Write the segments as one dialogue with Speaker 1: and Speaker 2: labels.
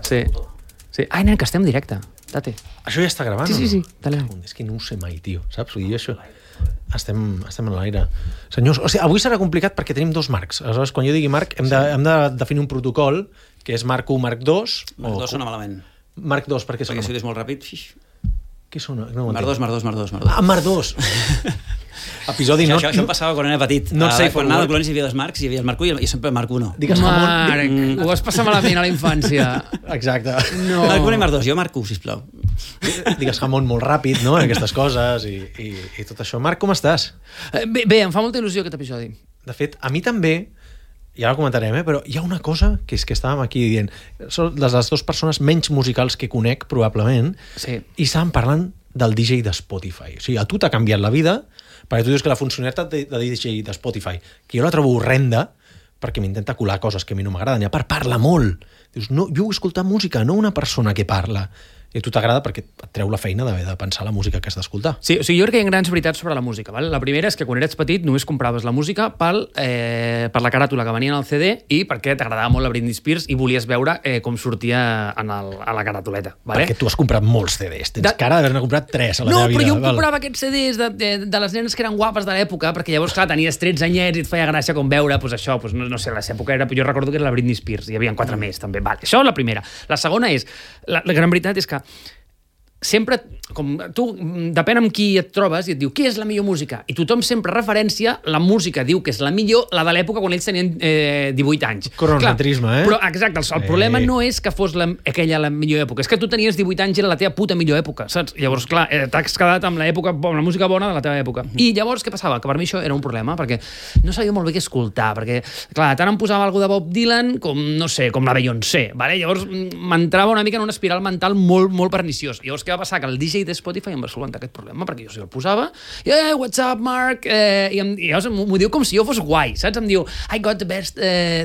Speaker 1: Sí. Ai, nen, que estem en directe. Date.
Speaker 2: Això ja està gravant?
Speaker 1: Sí. Dale.
Speaker 2: És que no ho sé mai, tio, saps? Vull dir, això... Estem en l'aire. Senyors, o sigui, avui serà complicat perquè tenim dos marcs. Aleshores, quan jo digui marc, hem de definir un protocol que és marc 1, marc 2...
Speaker 3: Marc 2 sona malament.
Speaker 2: Marc 2, perquè
Speaker 3: si ho dius molt ràpid...
Speaker 2: Què sona? No
Speaker 3: marc 2.
Speaker 2: Ah, marc 2! Episodi...
Speaker 3: Això em passava quan era petit. Quan anava al Colonis hi havia dos marcs, hi havia el marc 1 i sempre el marc 1.
Speaker 1: Marc, ho vas passar malament a la infància.
Speaker 2: Exacte.
Speaker 1: No.
Speaker 3: Marc 1 i marc 2, jo marc 1, sisplau.
Speaker 2: Digues jamón molt ràpid, no?, en aquestes coses i tot això. Marc, com estàs?
Speaker 1: Bé, em fa molta il·lusió aquest episodi.
Speaker 2: De fet, a mi també, i ara ho comentarem, però hi ha una cosa que és que estàvem aquí dient, són les dues persones menys musicals que conec, probablement, i estàvem parlant del DJ de Spotify. O sigui, a tu t'ha canviat la vida, perquè tu dius que la funcionalitat de DJ de Spotify, que jo la trobo horrenda, perquè m'intenta colar coses que a mi no m'agraden, i a part parla molt. Dius, no, jo vull escoltar música, no una persona que parla. I a tu t'agrada perquè et treu la feina d'haver de pensar la música que has d'escoltar.
Speaker 1: Sí, o sigui, jo crec que hi ha grans veritats sobre la música. Val? La primera és que quan eres petit només compraves la música per la caràtula que venia en el CD i perquè t'agradava molt la Britney Spears i volies veure com sortia a la caràtuleta. Vale?
Speaker 2: Perquè tu has comprat molts CDs. Tens cara d'haver-ne comprat 3 a la teva vida.
Speaker 1: No, però jo comprava aquests CDs de les nenes que eren guapes de l'època, perquè llavors, clar, tenies 13 anyets i et feia gràcia com veure, doncs això, doncs no sé, a l'època era... Jo recordo que era la Britney Spears, hi havia 4 més, també. Vale. Això és la primera. La segona és... La gran veritat és que sempre, com tu, depèn amb qui et trobes i et diu què és la millor música, i tothom sempre referència la música, diu que és la millor, la de l'època quan ells tenien 18 anys.
Speaker 2: Cronocentrisme,
Speaker 1: Però, exacte, el problema no és que fos aquella la millor època, és que tu tenies 18 anys i era la teva puta millor època, saps? Llavors, clar, t'has quedat amb la música bona de la teva època. I llavors, què passava? Que per mi això era un problema, perquè no sabia molt bé què escoltar, perquè, clar, tant em posava alguna de Bob Dylan com, no sé, com la Beyoncé, vale? Llavors m'entrava una mica en una espiral mental molt, molt perniciós. Llavors, què va passar? Que el DJ de Spotify em va solventar aquest problema, perquè jo el posava, what's up, Mark? I llavors m'ho diu com si jo fos guai, saps? Em diu, I got the best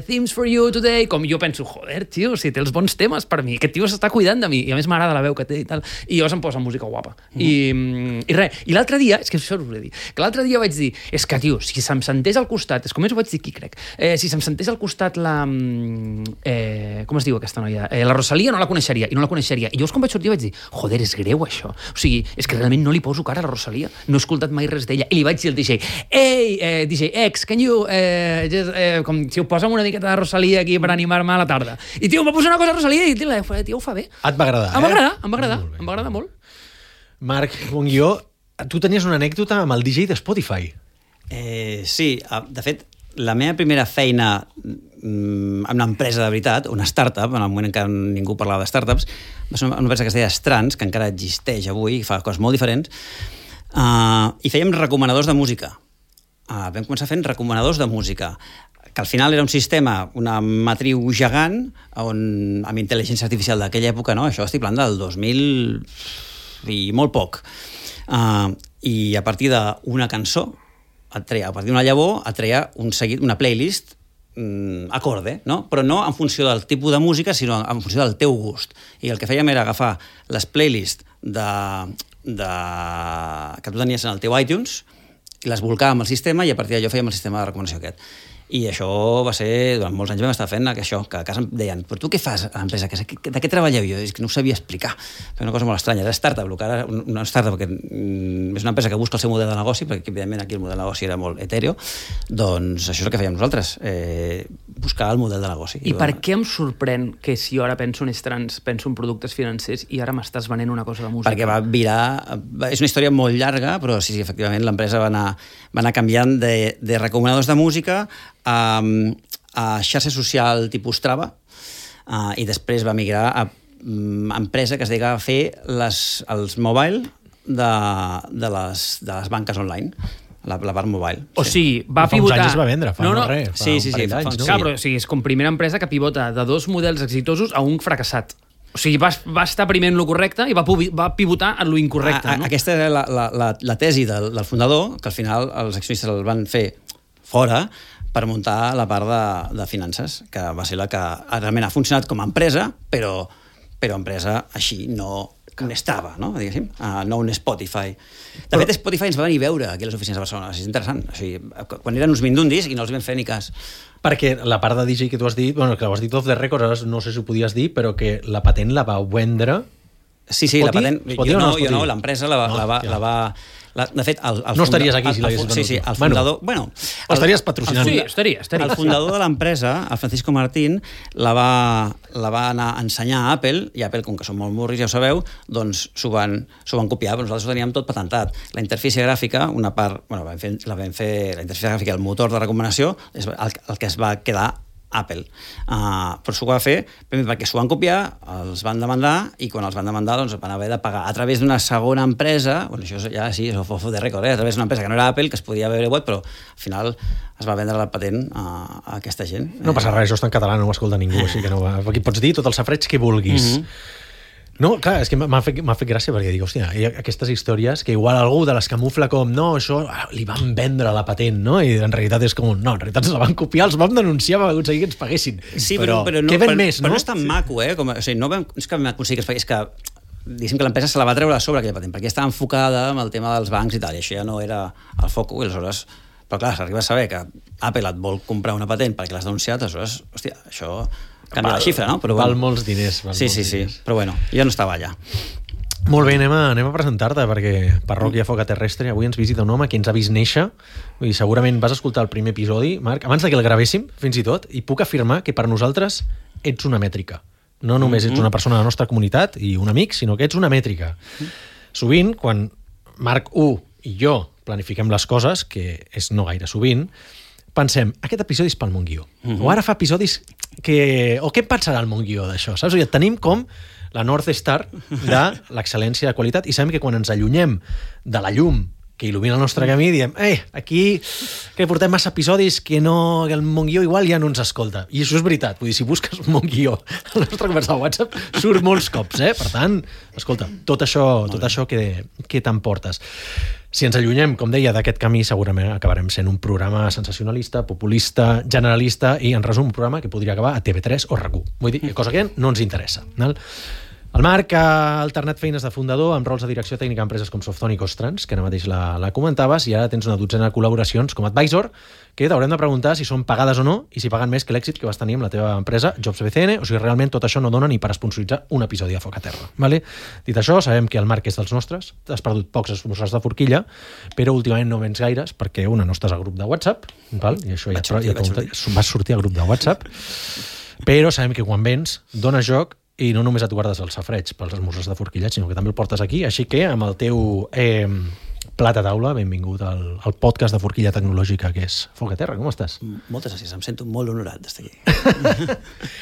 Speaker 1: themes for you today, com jo penso, joder, tio, si té els bons temes per mi, aquest tio s'està cuidant de mi, i a més m'agrada la veu que té i tal, i llavors em posa música guapa. I res, i l'altre dia, és que això us ho he dit, que l'altre dia vaig dir, és que, tio, si se'm sentés al costat, és com més ho vaig dir aquí, crec, si se'm sentés al costat la... com es diu aquesta noia? La Rosalía no la coneixeria, i llavors quan vaig sortir vaig dir, joder, és greu això. O sigui, és que realment no li poso cara a la Rosalía. No he escoltat mai res d'ella. I li vaig dir al DJ, DJ X, can you... com si ho posa una miqueta de Rosalía aquí per animar-me a la tarda. I, tio, em va posar una cosa a Rosalía i, tio, ho fa bé.
Speaker 2: Et va agradar,
Speaker 1: Em va agradar molt.
Speaker 2: Marc, com jo, tu tenies una anècdota amb el DJ de Spotify.
Speaker 3: Sí, de fet, la meva primera feina en una empresa de veritat, una startup, en el moment en què ningú parlava de startups, va ser una empresa que es deia Strands, que encara existeix avui, fa coses molt diferents, i fèiem recomanadors de música. Vam començar fent recomanadors de música, que al final era un sistema, una matriu gegant, on, amb intel·ligència artificial d'aquella època, no? Això estic parlant del 2000 i molt poc. I a partir d'una cançó, a partir d'una llavor, et treia un seguit, una playlist acorde, no? Però no en funció del tipus de música, sinó en funció del teu gust. I el que fèiem era agafar les playlists que tu tenies en el teu iTunes i les volcàvem al sistema i a partir d'allò fèiem el sistema de recomanació aquest. I això va ser, durant molts anys vam estar fent això, que a casa em deien, però tu què fas a l'empresa? De què treballeu? Jo és que no ho sabia explicar. Era una cosa molt estranya. Era startup, que ara una startup que és una empresa que busca el seu model de negoci, perquè evidentment aquí el model de negoci era molt etèreo, doncs això és el que fèiem nosaltres, buscar el model de negoci.
Speaker 1: I per què em sorprèn que si jo ara penso en Strands, penso en productes financers i ara m'estàs venent una cosa de música?
Speaker 3: Perquè va virar... És una història molt llarga, però sí, efectivament, l'empresa va anar canviant de recomanadors de música a xarxa social tipus Strava i després va migrar a empresa que es dedicava a fer els mobile de les banques online, la part mobile.
Speaker 1: O sigui, va pivotar...
Speaker 2: Fa uns anys es va vendre, fa no res.
Speaker 3: Sí,
Speaker 2: anys, no?
Speaker 1: Clar, però és com primera empresa que pivota de 2 models exitosos a un fracassat. O sigui, va estar primer en lo correcte i va pivotar en lo incorrecte, no?
Speaker 3: Aquesta era la tesi del fundador, que al final els accionistes el van fer fora per muntar la part de finances, que va ser la que realment ha funcionat com a empresa, però però empresa així no estava, no? Diguéssim, no un Spotify. De fet, Spotify ens va venir a veure aquí a les oficines de Barcelona, és interessant. O sigui, quan eren uns mindundis i no els vam fer ni cas.
Speaker 2: Perquè la part de DJ que tu has dit, bueno, que ho has dit off the record, ara no sé si ho podies dir, però que la patent la va vendre...
Speaker 3: Sí, la patent... Jo no, l'empresa la va... De fet,
Speaker 2: no estaries aquí si l'haguessis venut.
Speaker 3: Sí, el fundador... Bueno,
Speaker 2: estaries patrocinant.
Speaker 1: Sí, estaria.
Speaker 3: El fundador de l'empresa, el Francisco Martín, la va anar a ensenyar a Apple, i Apple, com que són molt murris, ja ho sabeu, doncs s'ho van copiar, però nosaltres ho teníem tot patentat. La interfície gràfica, una part... Bueno, la vam fer la interfície gràfica, el motor de recomanació, és el que es va quedar Apple. Però s'ho va fer primer perquè s'ho van copiar, els van demandar, i quan els van demandar doncs van haver de pagar a través d'una segona empresa, bueno, això ja sí, és off the record, a través d'una empresa que no era Apple, que es podia haver web, però al final es va vendre la patent a aquesta gent.
Speaker 2: No passa res, això està en català, no ho escolta ningú, així que no, aquí pots dir tot el safreig que vulguis. No, clar, és que m'ha fet gràcia perquè dic, hòstia, hi ha aquestes històries que igual algú de les camufla com, no, això li van vendre la patent, no? I en realitat és com, no, en realitat ens la van copiar, els vam denunciar, vam aconseguir que ens paguessin.
Speaker 3: Sí, però
Speaker 2: què ven més, no?
Speaker 3: Però no és tan maco, o sigui, no és que vam aconseguir que es pagués, és que diguéssim que l'empresa se la va treure a sobre aquella patent, perquè estava enfocada amb el tema dels bancs i tal, i això ja no era el foco, i aleshores... Però clar, s'arriba a saber que Apple et vol comprar una patent perquè l'has denunciat, aleshores, hòstia, això... canvia la xifra, no?
Speaker 2: Però val molts diners.
Speaker 3: Sí, però bueno, jo no estava allà.
Speaker 2: Molt bé, anem a presentar-te, perquè Parròquia Foca Terrestre avui ens visita un home que ens ha vist néixer, i segurament vas escoltar el primer episodi, Marc, abans que el gravéssim, fins i tot, i puc afirmar que per nosaltres ets una mètrica. No només ets una persona de la nostra comunitat i un amic, sinó que ets una mètrica. Sovint, quan Marc 1 i jo planifiquem les coses, que és no gaire sovint, pensem, aquest episodi és pel Montguió. O ara fa episodis que... O què pensarà el Montguió d'això? Saps? O sigui, tenim com la North Star de l'excel·lència de qualitat i sabem que quan ens allunyem de la llum que il·lumina el nostre camí, diem, aquí que portem massa episodis que el Montguió igual ja no ens escolta. I això és veritat. Vull dir, si busques Montguió a la nostra conversa de WhatsApp, surt molts cops, Per tant, escolta, tot això que t'emportes. Si ens allunyem, com deia, d'aquest camí, segurament acabarem sent un programa sensacionalista, populista, generalista i, en resum, un programa que podria acabar a TV3 o RAC1. Vull dir, cosa que no ens interessa. El Marc ha alternat feines de fundador amb rols de direcció tècnica a empreses com Softonic o Ostrans, que ara mateix la comentaves, i ara tens una dotzena de col·laboracions com a advisor, que t'haurem de preguntar si són pagades o no i si paguen més que l'èxit que vas tenir amb la teva empresa Jobs BCN, o si realment tot això no dona ni per sponsoritzar un episodi de Foc a Terra. Vale? Dit això, sabem que el Marc és dels nostres, has perdut pocs esmorzars de forquilla, però últimament no vens gaires perquè una no estàs al grup de WhatsApp, val? I això vas sortir al grup de WhatsApp, però sabem que quan vens dones joc i no només et guardes el safreig pels esmorzars de forquillat, sinó que també el portes aquí, així que amb el teu plat a taula, benvingut al podcast de forquilla tecnològica que és Foc a Terra, com estàs?
Speaker 3: Moltes gràcies, em sento molt honorat d'estar aquí.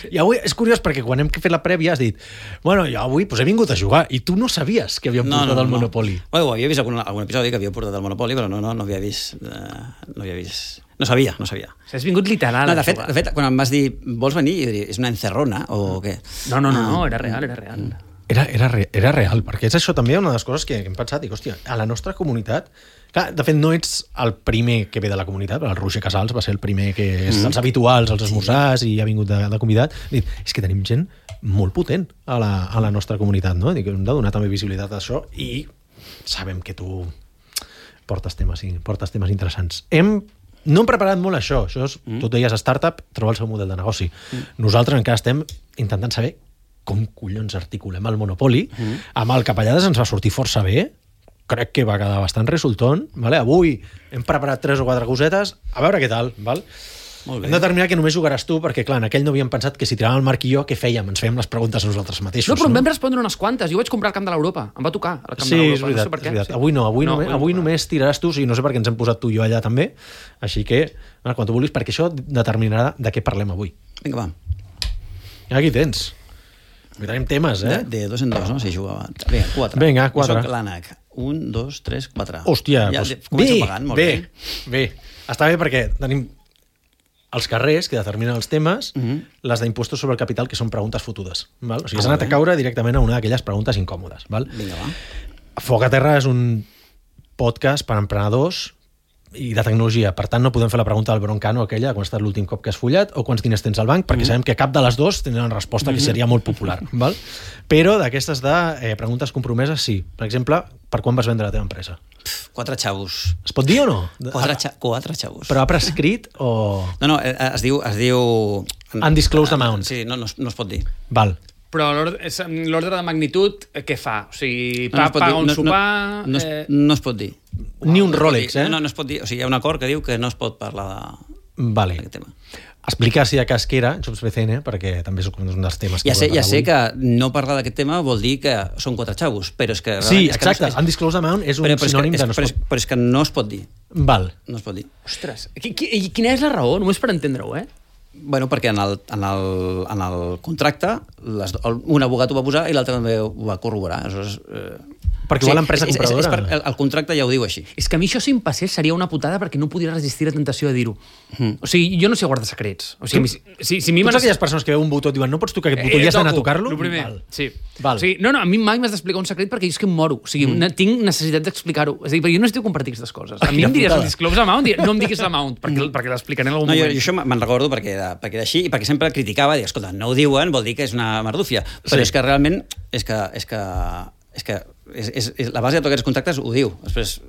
Speaker 2: I avui és curiós perquè quan hem fet la prèvia has dit, bueno, jo avui he vingut a jugar, i tu no sabies que havíem portat el Monopoly.
Speaker 3: Bueno, havia vist algun episodi que havia portat el Monopoly, però no havia vist... No sabia.
Speaker 1: Has vingut literal.
Speaker 3: No, de fet, quan em vas dir, vols venir? Jo diria, és una encerrona o què?
Speaker 1: No, era real.
Speaker 2: Era real, perquè és això també una de les coses que hem pensat, dic, hòstia, a la nostra comunitat, clar, de fet no ets el primer que ve de la comunitat, el Roger Casals va ser el primer que és els habituals, els esmorzars, i ha vingut de convidat. Dic, és que tenim gent molt potent a la nostra comunitat, no? Dic, hem de donar també visibilitat a això i sabem que tu portes temes interessants. No hem preparat molt això és, tu deies startup, trobar el seu model de negoci. Nosaltres encara estem intentant saber com collons articulem el Monopoly. Amb el Capellades ens va sortir força bé, crec que va quedar bastant resultant. Vale? Avui hem preparat 3 o 4 cosetes, a veure què tal. Val? Hem determinat que només jugaràs tu, perquè clar, en aquell no havíem pensat que si tiràvem el Marc i jo, què fèiem? Ens fèiem les preguntes a nosaltres mateixos.
Speaker 1: No, però em vam respondre unes quantes. Jo vaig comprar al Camp de l'Europa. Em va tocar al Camp de l'Europa.
Speaker 2: Sí, és veritat. Avui no. Avui només tiraràs tu, o sigui, no sé per què ens hem posat tu i jo allà també. Així que, quan tu vulguis, perquè això determinarà de què parlem avui.
Speaker 3: Vinga, va.
Speaker 2: Aquí tens. Avui tenim temes,
Speaker 3: De 2 en 2, no? Si jugava. Vinga, 4.
Speaker 2: Vinga, 4.
Speaker 3: Jo soc l'ànec. 1, 2, 3, 4.
Speaker 2: Hòstia,
Speaker 3: ja,
Speaker 2: doncs
Speaker 3: començo pagant, molt
Speaker 2: bé. Està bé perquè tenim els carrers que determinen els temes, les d'impostos sobre el capital, que són preguntes fotudes. Val? O sigui, has anat a caure directament a una d'aquelles preguntes incòmodes. Val?
Speaker 3: Vinga, va.
Speaker 2: Foc a Terra és un podcast per emprenedors i de tecnologia. Per tant, no podem fer la pregunta del Broncano aquella, quan ha estat l'últim cop que has follat, o quants diners tens al banc, perquè sabem que cap de les dues tindrà una resposta que seria molt popular. Val? Però d'aquestes de preguntes compromeses, sí. Per exemple, per quan vas vendre la teva empresa?
Speaker 3: 4 xavos.
Speaker 2: Es pot dir o no?
Speaker 3: 4 xavos.
Speaker 2: Però ha prescrit o...
Speaker 3: No, es diu...
Speaker 2: Undisclosed amount.
Speaker 3: Sí, no es pot dir.
Speaker 2: Val.
Speaker 1: Però l'ordre de magnitud, què fa? O sigui, paga un sopar...
Speaker 3: No es pot dir.
Speaker 2: Ni un Rolex,
Speaker 3: No es pot dir. O sigui, hi ha un acord que diu que no es pot parlar d'aquest tema.
Speaker 2: Explica si de cas que era Jobs BCN, perquè també és un dels temes que
Speaker 3: ja sé que no parlar d'aquest tema vol dir que són 4 xavos, però és que...
Speaker 2: Sí, exacte. Undisclosed amount és un sinònim de no es pot...
Speaker 3: Però és que no es pot dir.
Speaker 2: Val.
Speaker 3: No es pot dir.
Speaker 1: Ostres, quina és la raó? Només per entendre-ho,
Speaker 3: Bueno, perquè en el contracte un abogat ho va posar i l'altre també ho va corroborar. Aleshores,
Speaker 2: perquè igual l'empresa compradora...
Speaker 3: El contracte ja ho diu així.
Speaker 1: És que a mi això si em passés seria una putada perquè no podria resistir la tentació de dir-ho. O sigui, jo no sé guardar secrets. O sigui, si a mi
Speaker 2: tots aquelles persones que veuen un botó diuen no pots tocar aquest botó i has d'anar a tocar-lo?
Speaker 1: El primer, sí.
Speaker 2: Val.
Speaker 1: O sigui, no, a mi mai m'has d'explicar un secret perquè jo és que em moro. O sigui, tinc necessitat d'explicar-ho. És a dir, perquè jo no estic compartir aquestes coses. A mi em diries el disclose amount, no em diguis l'amount, perquè l'explicaré en algun moment.
Speaker 3: Jo això me'n recordo perquè era així i perquè sempre criticava, dic, escolta, no ho diuen, vol dir que és una merdúfia. Però és que realment és que la base de tots aquests contractes ho diu. Després,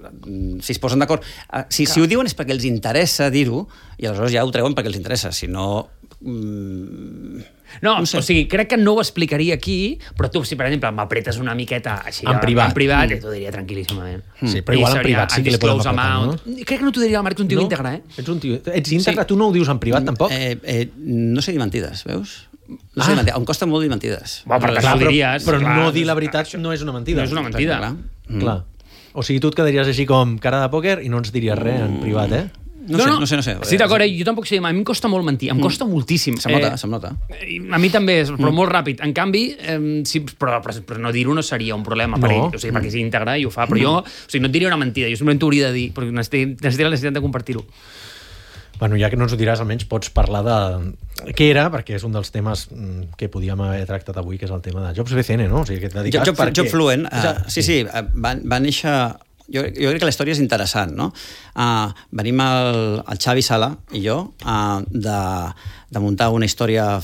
Speaker 3: si es posen d'acord... Si ho diuen és perquè els interessa dir-ho i aleshores ja ho treuen perquè els interessa. Si no...
Speaker 1: No sé. O sigui, crec que no ho explicaria aquí, però tu, si per exemple m'apretes una miqueta així
Speaker 2: en privat,
Speaker 1: t'ho diria tranquil·líssimament.
Speaker 2: Sí, però igual en privat sí que li podem apretar, no?
Speaker 1: Crec que no t'ho diria, Marc, un tio íntegre,
Speaker 2: Ets íntegre? Tu no ho dius en privat, tampoc?
Speaker 3: No sé dir mentides, veus? No sé dir mentides. Em costa molt dir mentides.
Speaker 2: Però no dir la veritat no és una mentida.
Speaker 1: No és una mentida.
Speaker 2: Clar. O sigui, tu et quedaries així com cara de pòquer i no ens diries res en privat,
Speaker 3: No sé.
Speaker 1: Sí, d'acord, jo tampoc sé, a mi em costa molt mentir, em costa moltíssim.
Speaker 3: Se'm nota.
Speaker 1: A mi també, però molt ràpid. En canvi, però no dir-ho no seria un problema per ell, o sigui, perquè és íntegre i ho fa, però jo, o sigui, no et diria una mentida, jo simplement t'ho hauria de dir, perquè necessitaria la necessitat de compartir-ho.
Speaker 2: Bueno, ja que no ens ho diràs, almenys pots parlar de què era, perquè és un dels temes que podíem haver tractat avui, que és el tema de Jobs BCN, no? O sigui, que et dediques...
Speaker 3: Job Fluent, sí, va néixer... Jo crec que la història és interessant, no? Venim el Xavi Sala i jo de muntar una història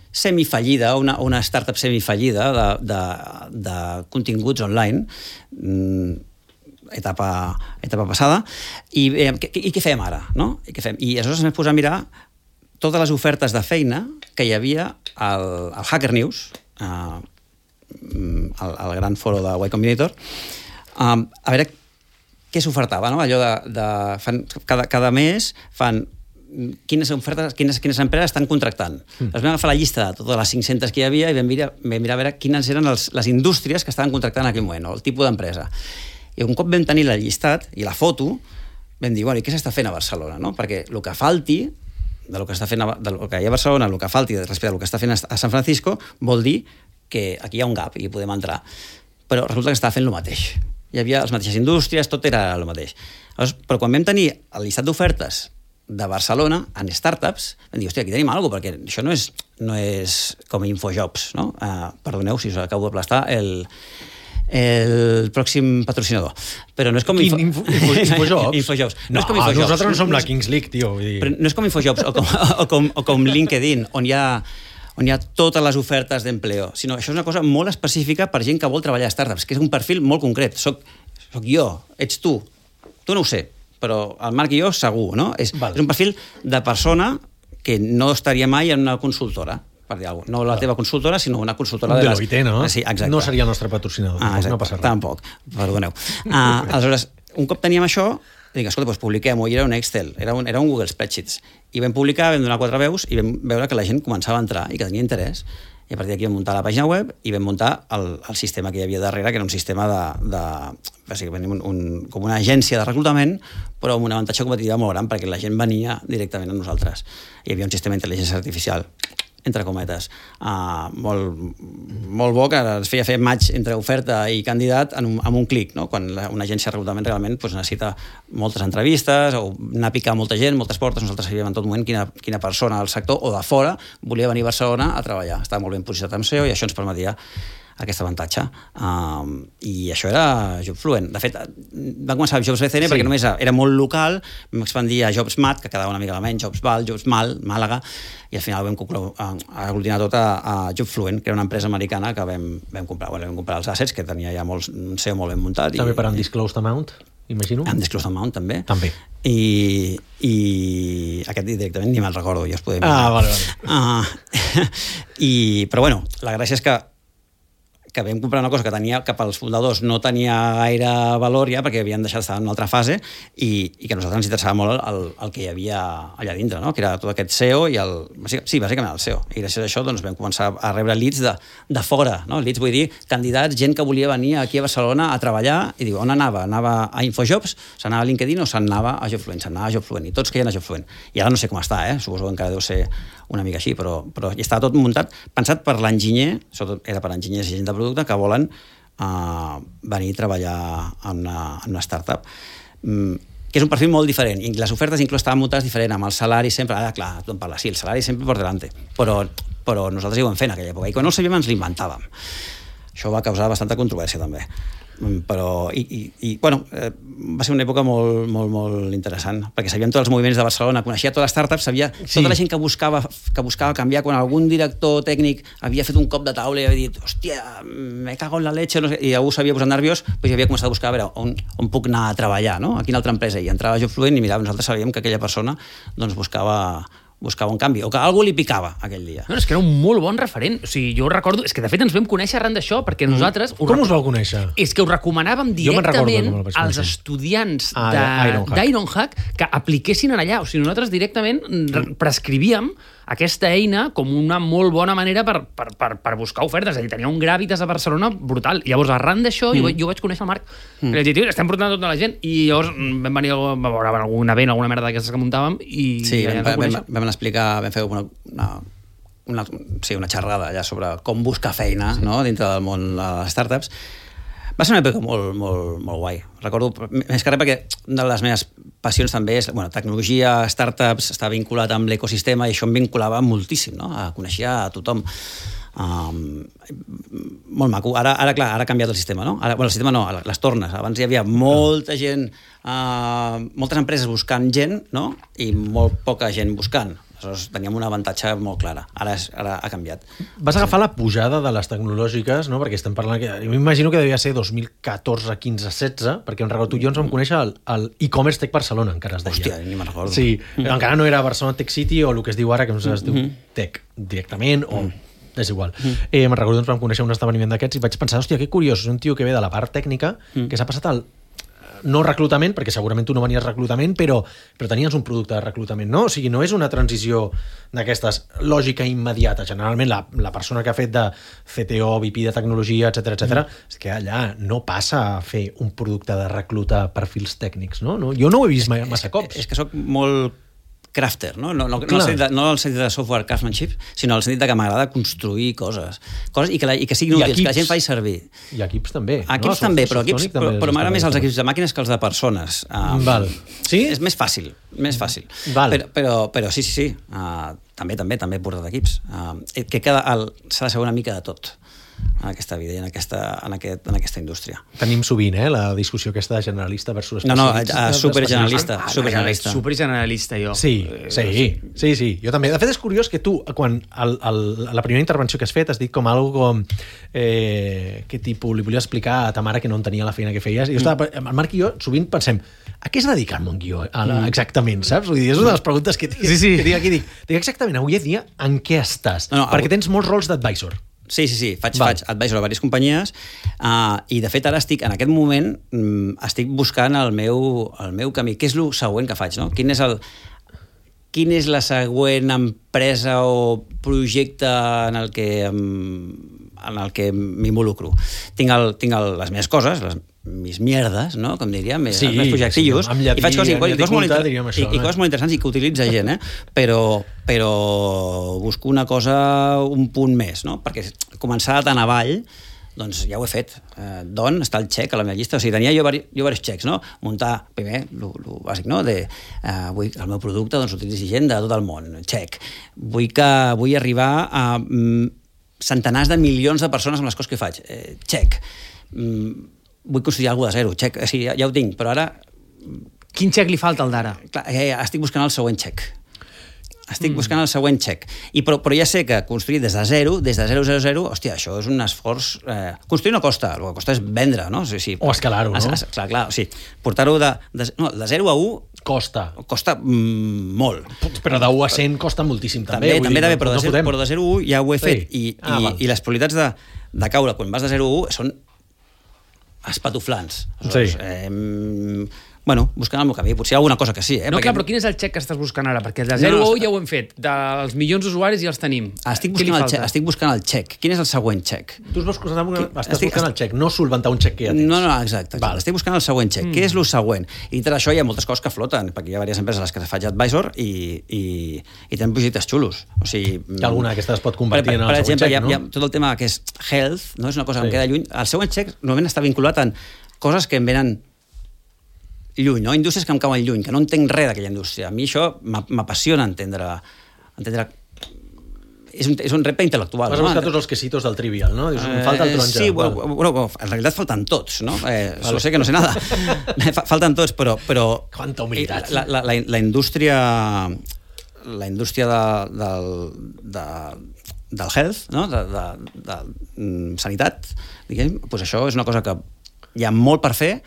Speaker 3: semifallida, una startup semifallida de continguts online, etapa passada, i què fem ara, no? I aleshores vam posar a mirar totes les ofertes de feina que hi havia al Hacker News, al gran foro de Y Combinator, a veure què s'ofertava, no? Allò cada mes fan quines empreses estan contractant. Vam agafar la llista de totes les 500 que hi havia i vam mirar a veure quines eren les indústries que estaven contractant en aquell moment, el tipus d'empresa. I un cop vam tenir el llistat i la foto, vam dir, bueno, i què s'està fent a Barcelona, no? Perquè el que falti del que hi ha a Barcelona, el que falti respecte al que està fent a San Francisco, vol dir que aquí hi ha un gap i podem entrar. Però resulta que estava fent el mateix. Hi havia les mateixes indústries, tot era el mateix. Però quan vam tenir el llistat d'ofertes de Barcelona en startups, vam dir, hòstia, aquí tenim alguna cosa, perquè això no és com Infojobs, no? Perdoneu si us acabo d'aplastar el pròxim patrocinador. Però no és com...
Speaker 2: Infojobs?
Speaker 3: Infojobs.
Speaker 2: No, nosaltres no som la Kings League, tio.
Speaker 3: Però no és com Infojobs o com LinkedIn, on hi ha totes les ofertes d'empleo, sinó això és una cosa molt específica per gent que vol treballar a startups, que és un perfil molt concret. Soc jo, ets tu. Tu no ho sé, però el Marc i jo segur, no? És un perfil de persona que no estaria mai en una consultora, per dir alguna cosa. No la teva consultora, sinó una consultora de les...
Speaker 2: Deloitte, no?
Speaker 3: Sí, exacte.
Speaker 2: No seria el nostre patrocinador.
Speaker 3: No passa res. Tampoc, perdoneu. Aleshores, un cop teníem això, dic, escolta, doncs publiquem-ho, i era un Excel, era un Google Spreadsheets. I vam publicar, vam donar 4 veus i vam veure que la gent començava a entrar i que tenia interès. I a partir d'aquí vam muntar la pàgina web i vam muntar el sistema que hi havia darrere, que era un sistema bàsicament com una agència de reclutament, però amb un avantatge competitiu molt gran, perquè la gent venia directament a nosaltres. Hi havia un sistema d'intel·ligència artificial, entre cometes, molt bo, que es feia fer match entre oferta i candidat amb un clic, no? Quan una agència de reclutament realment necessita moltes entrevistes o anar a picar molta gent, moltes portes. Nosaltres sabíem en tot moment quina persona del sector o de fora volia venir a Barcelona a treballar. Estava molt ben posicionat amb SEO i això ens permetia aquest avantatge. I això era JobFluent. De fet, va començar amb Jobs BCN perquè només era molt local, vam expandir a JobsMat, que quedava una mica menys, JobsVal, JobsMal, Màlaga, i al final vam aglutinar tot a JobFluent, que era una empresa americana que vam comprar. Vam comprar els assets, que tenia ja un SEO molt ben muntat.
Speaker 2: També per Undisclosed Amount, imagino?
Speaker 3: Undisclosed Amount, també.
Speaker 2: També.
Speaker 3: I aquest directament ni me'n recordo, ja us podem dir.
Speaker 2: Vale.
Speaker 3: Però bueno, la gràcia és que vam comprar una cosa que tenia, que pels fundadors no tenia gaire valor ja, perquè havien deixat d'estar en una altra fase i que a nosaltres ens interessava molt el que hi havia allà dintre, no? Que era tot aquest SEO i bàsicament el SEO. I gràcies a això doncs, vam començar a rebre leads de fora, no? Leads vull dir candidats, gent que volia venir aquí a Barcelona a treballar i diu, on anava? Anava a InfoJobs, s'anava a LinkedIn o s'anava a JobFluent? S'anava a JobFluent i tots queien a JobFluent. I ara no sé com està, suposo que encara deu ser una mica així, però ja estava tot muntat, pensat per l'enginyer, sobretot era per enginyers i gent de producte que volen venir a treballar en una startup. Que és un perfil molt diferent, i les ofertes inclús estaven muntades diferent, amb el salari sempre, clar, tothom parla, sí, el salari sempre por delante, però nosaltres ja ho vam fer en aquella època, i quan no ho sabíem ens l'inventàvem. Això va causar bastanta controvèrsia també. Però bueno, va ser una època molt, molt, molt interessant, perquè sabíem tots els moviments de Barcelona, coneixia totes les startups, sabia tota la gent que buscava canviar, quan algun director tècnic havia fet un cop de taula i havia dit, hòstia, me cago en la leche, no sé, i algú s'havia posat nerviós, doncs havia començat a buscar a veure on puc anar a treballar, no? A quina altra empresa, i entrava a JobFluent i mirava, nosaltres sabíem que aquella persona doncs buscava un canvi, o que algú li picava aquell dia.
Speaker 1: No, és que era un molt bon referent. O sigui, jo recordo... És que, de fet, ens vam conèixer arran d'això, perquè nosaltres...
Speaker 2: Com us vau conèixer?
Speaker 1: És que ho recomanàvem directament als estudiants d'Ironhack que apliquessin allà. O sigui, nosaltres directament prescrivíem aquesta eina com una molt bona manera per buscar ofertes. És a dir, tenia un gràvitas a Barcelona brutal. Llavors, arran d'això, jo vaig conèixer el Marc. I vaig dir, tio, estem portant tota la gent. I llavors vam venir a veure algun event, alguna merda d'aquestes que muntàvem, i
Speaker 3: sí, vam fer una xerrada allà sobre com buscar feina, no?, dintre del món de les startups. Va ser una època molt, molt, molt guai. Recordo, més que res, perquè una de les meves passions també és, tecnologia, startups, està vinculat amb l'ecosistema, i això em vinculava moltíssim, no?, coneixia a tothom. Molt maco. Ara ha canviat el sistema, no? El sistema no, les tornes. Abans hi havia molta gent, moltes empreses buscant gent, no?, i molt poca gent buscant. Aleshores teníem un avantatge molt clar. Ara ha canviat.
Speaker 2: Vas agafar la pujada de les tecnològiques, no?, perquè estem parlant... Jo m'imagino que devia ser 2014, 15, 16, perquè tu i jo ens vam conèixer al e-commerce Tech Barcelona, encara es deia.
Speaker 3: Hòstia, ni me'n recordo.
Speaker 2: Sí, encara no era Barcelona Tech City o el que es diu ara, que no sé si es diu Tech directament, o... és igual. Me'n recordo, ens vam conèixer un esdeveniment d'aquests i vaig pensar, hòstia, que curiós, és un tio que ve de la part tècnica, que s'ha passat al no reclutament, perquè segurament tu no venies reclutament, però tenies un producte de reclutament, no? O sigui, no és una transició d'aquestes lògica immediata. Generalment la persona que ha fet de CTO, VP de tecnologia, etc és que allà no passa a fer un producte de reclutar perfils tècnics, no? Jo no ho he vist massa cops.
Speaker 3: És que soc molt crafter, no en el sentit de software craftsmanship, sinó en el sentit que m'agrada construir coses i que siguin útils, que la gent faci servir.
Speaker 2: I equips també.
Speaker 3: Equips també, però m'agrada més els equips de màquines que els de persones.
Speaker 2: Val. Sí?
Speaker 3: És més fàcil.
Speaker 2: Val.
Speaker 3: Però sí. També he portat equips. Que s'ha de saber una mica de tot en aquesta vida i en aquesta indústria.
Speaker 2: Tenim sovint, la discussió aquesta de generalista versus especialista.
Speaker 3: Supergeneralista.
Speaker 1: Supergeneralista, jo.
Speaker 2: Sí. Jo també. De fet, és curiós que tu, quan la primera intervenció que has fet, has dit com algo com que tipus li volia explicar a ta mare que no entenia la feina que feies. I el Marc i jo sovint pensem, a què es dedica el Montguió exactament, saps? Vull dir, és una de les preguntes que dic aquí. Dic exactament, avui dia en què estàs? Perquè tens molts rols d'advisor.
Speaker 3: Sí, faig advisor a diverses companyies i de fet ara en aquest moment estic buscant el meu camí. Què és el següent que faig? No? Quin és la següent empresa o projecte en el que m'involucro? Tinc les meves coses, mis mierdes, no? Com diria, els meus projectillos, i faig coses molt interessants i que utilitza gent, però busco una cosa un punt més, no? Perquè començar tan avall, doncs ja ho he fet. D'on està el xec a la meva llista? O sigui, tenia jo diversos xecs, no? Muntar, primer, el bàsic, no? Vull que el meu producte utilitzi gent de tot el món, xec. Vull arribar a centenars de milions de persones amb les coses que faig. Check. Vull construir alguna cosa de zero. Check. O sigui, ja ho tinc, però ara...
Speaker 1: Quin check li falta al d'ara?
Speaker 3: Estic buscant el següent check. Buscant el següent check. Però ja sé que construir des de 0, hòstia, això és un esforç... Construir no costa, el que costa és vendre, no?
Speaker 2: O escalar-ho, no?
Speaker 3: Clar, o sigui, portar-ho de 0 a 1...
Speaker 2: Costa
Speaker 3: molt.
Speaker 2: Però de 1 a 100 costa moltíssim, també.
Speaker 3: També, però de 0 a 1 ja ho he fet. I les probabilitats de caure quan vas de 0 a 1 són espatuflants. Bueno, buscant el meu camí. Potser alguna cosa que sí.
Speaker 1: No, clar, però quin és el check que estàs buscant ara? Perquè de 0 a 1 ja ho hem fet. Dels milions d'usuaris ja els tenim.
Speaker 3: Estic buscant el check. Quin és el següent check?
Speaker 2: Tu estàs buscant el check, no solventar un check que ja tens.
Speaker 3: No, exacte. Estic buscant el següent check. Què és el següent? I dintre d'això hi ha moltes coses que floten, perquè hi ha diverses empreses a les que faig advisor i tenen projectes xulos. O sigui...
Speaker 2: Alguna d'aquestes es pot convertir en el següent check, no?
Speaker 3: Hi ha tot el tema que és health, no? És una cosa que em queda lluny. El següent check normalment està vinculat en coses que em venen lluny, no? Indústries que em cauen lluny, que no entenc res d'aquella indústria. A mi això m'apassiona entendre... És un repte intel·lectual.
Speaker 2: Vas a buscar tots els quesitos del Trivial, no? Dius, em falta el taronja.
Speaker 3: Sí, bueno, en realitat falten tots, no? Solo sé que no sé nada. Falten tots, però...
Speaker 2: Quanta humilitat.
Speaker 3: La indústria del health, no? De sanitat, diguem, doncs això és una cosa que hi ha molt per fer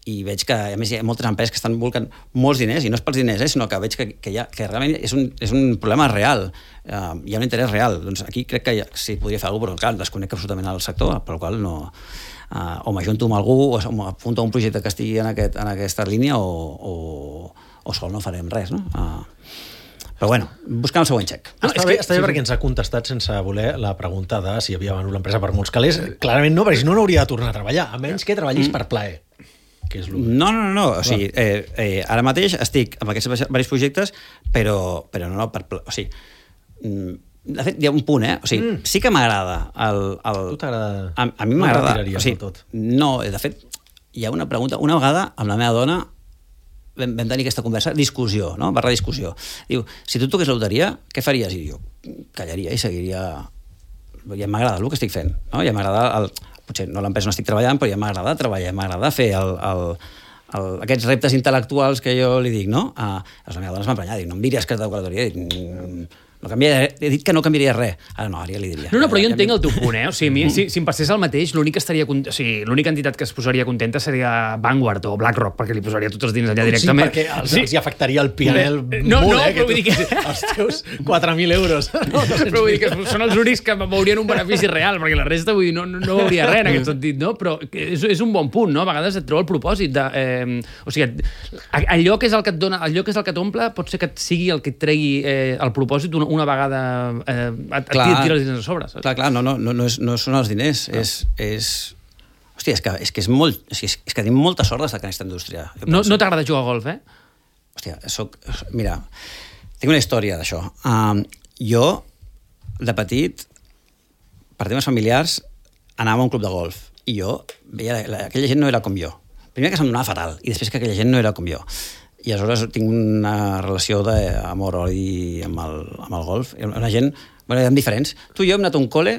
Speaker 3: i veig que, a més, hi ha moltes empreses que estan volcant molts diners, i no és pels diners, sinó que veig que realment és un problema real. Hi ha un interès real. Doncs aquí crec que sí, podria fer alguna cosa, però clar, desconec absolutament el sector, per la qual no... o m'ajunto amb algú, o m'apunto a un projecte que estigui en aquesta línia, o sol no farem res, no? Però bueno, buscant el següent check.
Speaker 2: Està bé perquè ens ha contestat sense voler la pregunta de si havia venut l'empresa per molts calés. Clarament no, perquè si no hauria de tornar a treballar, a menys que treballis per plaer.
Speaker 3: No. O sigui, ara mateix estic amb aquests diversos projectes, però no per... O sigui, de fet, hi ha un punt, O sigui, sí que m'agrada
Speaker 2: Tu t'agrada?
Speaker 3: A mi m'agrada.
Speaker 2: O sigui, tot.
Speaker 3: No, de fet, hi ha una pregunta. Una vegada, amb la meva dona, vam tenir aquesta conversa, discussió, no? /discussió. Diu, si tu toqués la loteria, què faries? I jo callaria i seguiria... Ja m'agrada el que estic fent, no? Ja m'agrada... Potser no l'empresa no estic treballant, però ja m'agrada treballar, m'agrada fer aquests reptes intel·lectuals que jo li dic, no? Les meves dones m'emprenyar, dic, no em diries que has de tocar la loteria, he dit que no canviaria res. Ara no, ara ja li diria.
Speaker 1: No, però jo entenc el teu punt, O sigui, si em passés el mateix, l'única entitat que es posaria contenta seria Vanguard o BlackRock, perquè li posaria tots els diners allà directament.
Speaker 2: Sí, perquè els hi afectaria el PNL molt, però vull dir que... Els teus 4.000 euros.
Speaker 1: Però vull dir que són els únics que m'haurien un benefici real, perquè la resta, vull dir, no hauria res en aquest sentit, no? Però és un bon punt, no? A vegades et trobo el propòsit de... O sigui, allò que és el que et dona, allò que és el que t'omple, pot ser que sigui el que et tregui el propòsit una vegada et tira els diners a sobre. Saps?
Speaker 3: Clar, no són els diners. Hòstia, és que és molt... És que tenim molta sort d'estar en aquesta indústria.
Speaker 1: No t'agrada jugar a golf,
Speaker 3: Hòstia, mira, tinc una història d'això. Jo, de petit, per temes familiars, anava a un club de golf i jo veia aquella gent no era com jo. Primer que se'm donava fatal i després que aquella gent no era com jo. I aleshores tinc una relació d'amor-odi amb el golf. Una gent... Bueno, eren diferents. Tu i jo hem anat a un col·le,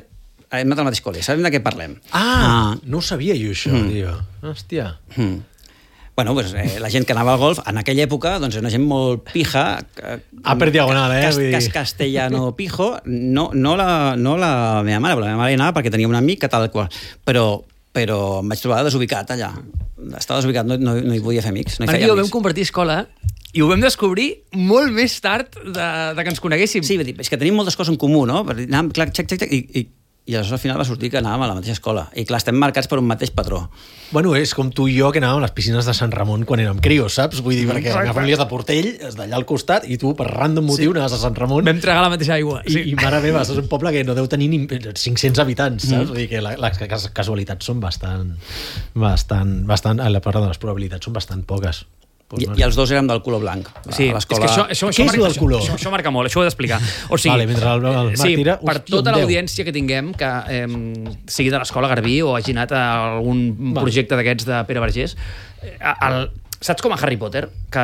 Speaker 3: hem anat al mateix col·le. Sabem de què parlem.
Speaker 2: No ho sabia jo, això, tio. Hòstia.
Speaker 3: Bueno, pues, la gent que anava al golf, en aquella època, doncs era una gent molt pija.
Speaker 2: Per diagonal,
Speaker 3: Castellano pijo. No la meva mare, però la meva mare hi anava perquè tenia un amic que tal qual. Però em vaig trobar desubicat allà. Estava desubicat, no hi podia fer amics.
Speaker 1: Perquè ho vam compartir escola i ho vam descobrir molt més tard de que ens coneguéssim.
Speaker 3: Sí, és que tenim moltes coses en comú, no? Anàvem, clar, i aleshores al final va sortir que anàvem a la mateixa escola. I clar, estem marcats per un mateix patró.
Speaker 2: Bueno, és com tu i jo que anàvem a les piscines de Sant Ramon quan érem crios, saps? Vull dir, perquè la família és de Portell, és d'allà al costat, i tu, per random motiu, anaves a Sant Ramon.
Speaker 1: Vam tragar la mateixa aigua.
Speaker 2: I mare meva, és un poble que no deu tenir ni 500 habitants, saps? Vull dir que les casualitats són bastant... les probabilitats són bastant poques.
Speaker 3: I els dos érem del color blanc.
Speaker 1: Sí, és que això
Speaker 2: què és del color?
Speaker 1: Això marca molt, això ho he d'explicar. O sigui,
Speaker 2: vale, mentre el Marc tira...
Speaker 1: Per tota l'audiència que tinguem, que sigui de l'escola Garbí o hagi anat a algun projecte d'aquests de Pere Vergés, Saps com a Harry Potter, que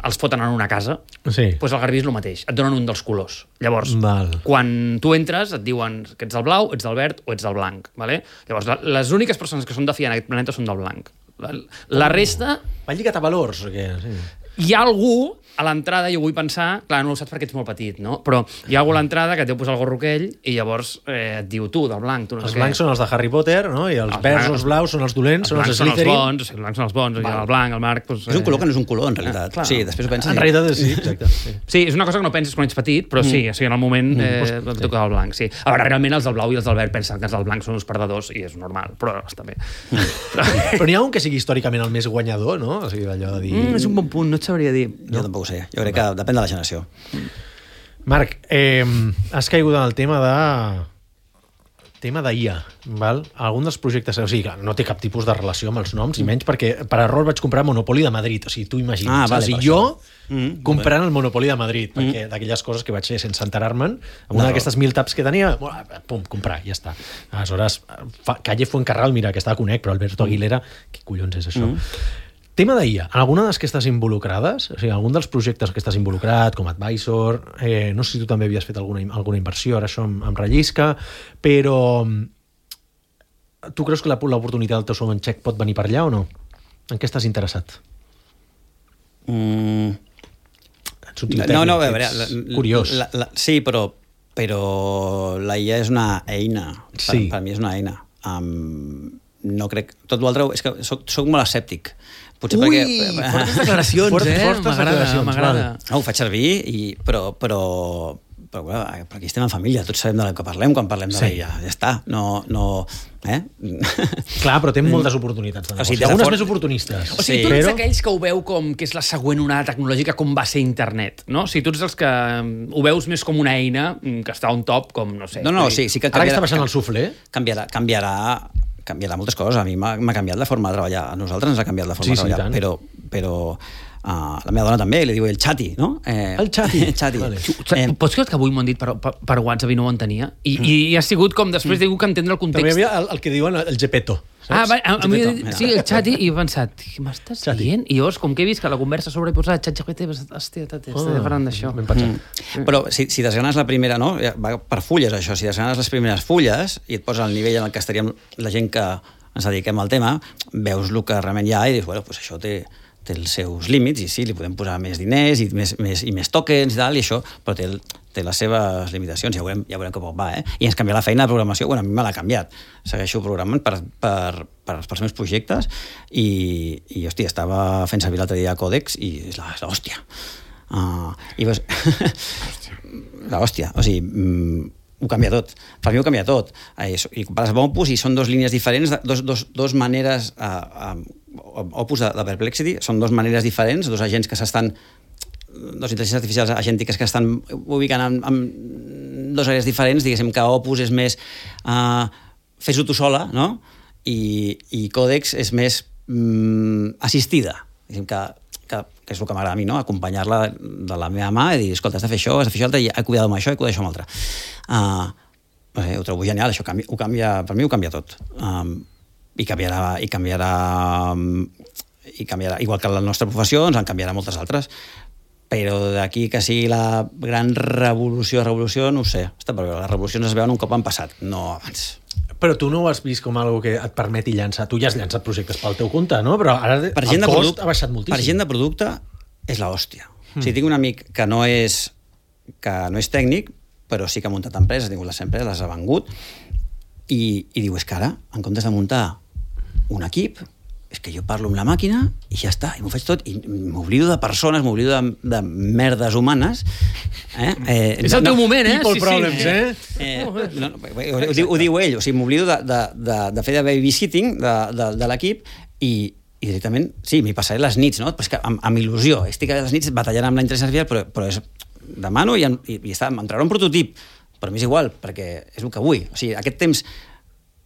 Speaker 1: els foten en una casa?
Speaker 2: Sí.
Speaker 1: Doncs el Garbí és el mateix, et donen un dels colors. Llavors,
Speaker 2: Val.
Speaker 1: quan tu entres, et diuen que ets del blau, ets del verd o ets del blanc. Vale? Llavors, les úniques persones que són de fiar en aquest planeta són del blanc. La resta...
Speaker 2: Va lligat a valors, o què? Sí.
Speaker 1: Hi ha algú a l'entrada, jo vull pensar, clar, no ho saps perquè ets molt petit, no? Però hi ha algú a l'entrada que et deu posar el gorro aquell i llavors et diu tu, del blanc, tu no
Speaker 2: Els
Speaker 1: sé què.
Speaker 2: blancs són els de Harry Potter, no? I els verds o els blaus són els dolents, són els Slytherin.
Speaker 1: Els blancs són els bons, el blanc, el Marc... Doncs,
Speaker 3: És un color que no és un color, en realitat.
Speaker 1: clar.
Speaker 3: Sí, després ho penses...
Speaker 2: En realitat, sí, exacte. Sí.
Speaker 1: Sí, és una cosa que no penses quan ets petit, però sí, o sigui, en el moment et toca el blanc, sí. A veure, realment els del blau i els del verd pensen que els del blanc són uns perdedors i és normal, però està bé.
Speaker 2: Però n'hi ha un que sigui històricament el més guanyador, no? O sigui, allò de dir...
Speaker 1: És un bon punt, no et sabria dir.
Speaker 3: Jo tampoc ho sé. Jo crec que depèn de la generació.
Speaker 2: Marc, has caigut en el tema d'IA, val? Algun dels projectes... O sigui, no té cap tipus de relació amb els noms, i menys perquè per error vaig comprar Monopoly de Madrid. O sigui, tu imagines.
Speaker 3: Vale,
Speaker 2: i jo comprant el Monopoly de Madrid, perquè d'aquelles coses que vaig fer sense enterar-me'n, amb una d'aquestes 1000 taps que tenia, pum, comprar, ja està. Aleshores, Calle Fuencarral, mira, que estava a Conec, però Alberto Aguilera, què collons és això? Tema d'IA, en alguna de les que estàs involucrades, o sigui, algun dels projectes que estàs involucrat, com Advisor, no sé si tu també havies fet alguna inversió, ara això em rellisca, però tu creus que l'oportunitat del teu segon xec pot venir per allà o no? En què estàs interessat?
Speaker 3: No, a veure...
Speaker 2: Curiós.
Speaker 3: Sí, però la IA és una eina.
Speaker 2: Sí.
Speaker 3: Per mi és una eina. No crec... Tot l'altre... És que soc molt escèptic. Potser
Speaker 1: Ui,
Speaker 3: perquè...
Speaker 1: fortes declaracions, m'agrada.
Speaker 3: No, ho faig servir, però bueno, aquí estem en família, tots sabem de què parlem quan parlem de l'IA. Ja està.
Speaker 2: Clar, però té moltes oportunitats de negoci. Algunes més oportunistes.
Speaker 1: O sigui, tu ets aquells que ho veu com que és la següent onada tecnològica com va ser internet, no? O sigui, tu ets els que ho veus més com una eina que està on top, com, no sé...
Speaker 3: No, sí que
Speaker 2: ara que està baixant el suflé...
Speaker 3: Canviarà moltes coses. A mi m'ha canviat la forma de treballar. A nosaltres ens ha canviat la forma de treballar. Però la meva dona també, li diu el xati, no?
Speaker 2: El xati.
Speaker 3: Vale.
Speaker 1: Pots creure que avui m'ho han dit per WhatsApp i no ho entenia? I ha sigut com després de que entendre el context.
Speaker 2: També hi havia el que diuen el Gepetto.
Speaker 1: A mi, sí, el xati, i he pensat, què m'estàs dient? I llavors, com que he vist que la conversa sobre posar xat-GPT, hòstia, estic parlant d'això.
Speaker 3: Però si desgranes la primera, no? Va per fulles, això. Si desgranes les primeres fulles i et poses al nivell en el que estaríem la gent que ens dediquem al tema, veus el que realment hi ha i dius, bueno, pues això té els seus límits, i sí, li podem posar més diners i més tokens i tal, i això, però té les seves limitacions, ja veurem com va, I ens canvia la feina de programació, bueno, a mi me l'ha canviat. Segueixo programant pels meus projectes i hòstia, estava fent servir l'altre dia Codex i és l'hòstia. I veus... L'hòstia, o sigui... ho canvia tot. Per mi ho canvia tot. I compares amb Opus i són dues línies diferents, dos maneres... Opus de Perplexity són dues maneres diferents, dos agents que s'estan... Dos intel·ligències artificials agèntiques que estan ubicant en dues àrees diferents. Diguéssim que Opus és més fes-ho tu sola, no? I Codex és més assistida. Diguéssim que és el que m'agrada a mi, no? Acompanyar-la de la meva mà i dir, escolta, has de fer això, altre, i he cuidat amb això, he cuidat això amb l'altre. Ho trobo genial, això per mi ho canvia tot. I canviarà, igual que la nostra professió, ens en canviarà moltes altres. Però d'aquí que sigui la gran revolució, no ho sé. Està per veure, les revolucions es veuen un cop han passat, no abans.
Speaker 2: Però tu no ho has vist com algo que et permeti llançar... Tu ja has llançat projectes pel teu compte, no? Però ara el cost ha baixat moltíssim.
Speaker 3: Per gent de producte és l'hòstia. O sigui, tinc un amic que no és tècnic, però sí que ha muntat empreses, ha tingut les empreses, les ha vengut, i diu, és que ara, en comptes de muntar un equip, és que jo parlo amb la màquina i ja està, i m'ho faig tot, i m'oblido de persones, m'oblido de merdes humanes.
Speaker 1: És el teu moment,
Speaker 2: People problems,
Speaker 3: Ho diu ell, o sigui, m'oblido de fer de babysitting de l'equip i directament, sí, m'hi passaré les nits, no? Però és que amb il·lusió, estic a les nits batallant amb la intel·ligència artificial, però demano i m'entrarà un prototip, però m'és igual, perquè és el que vull. O sigui, aquest temps,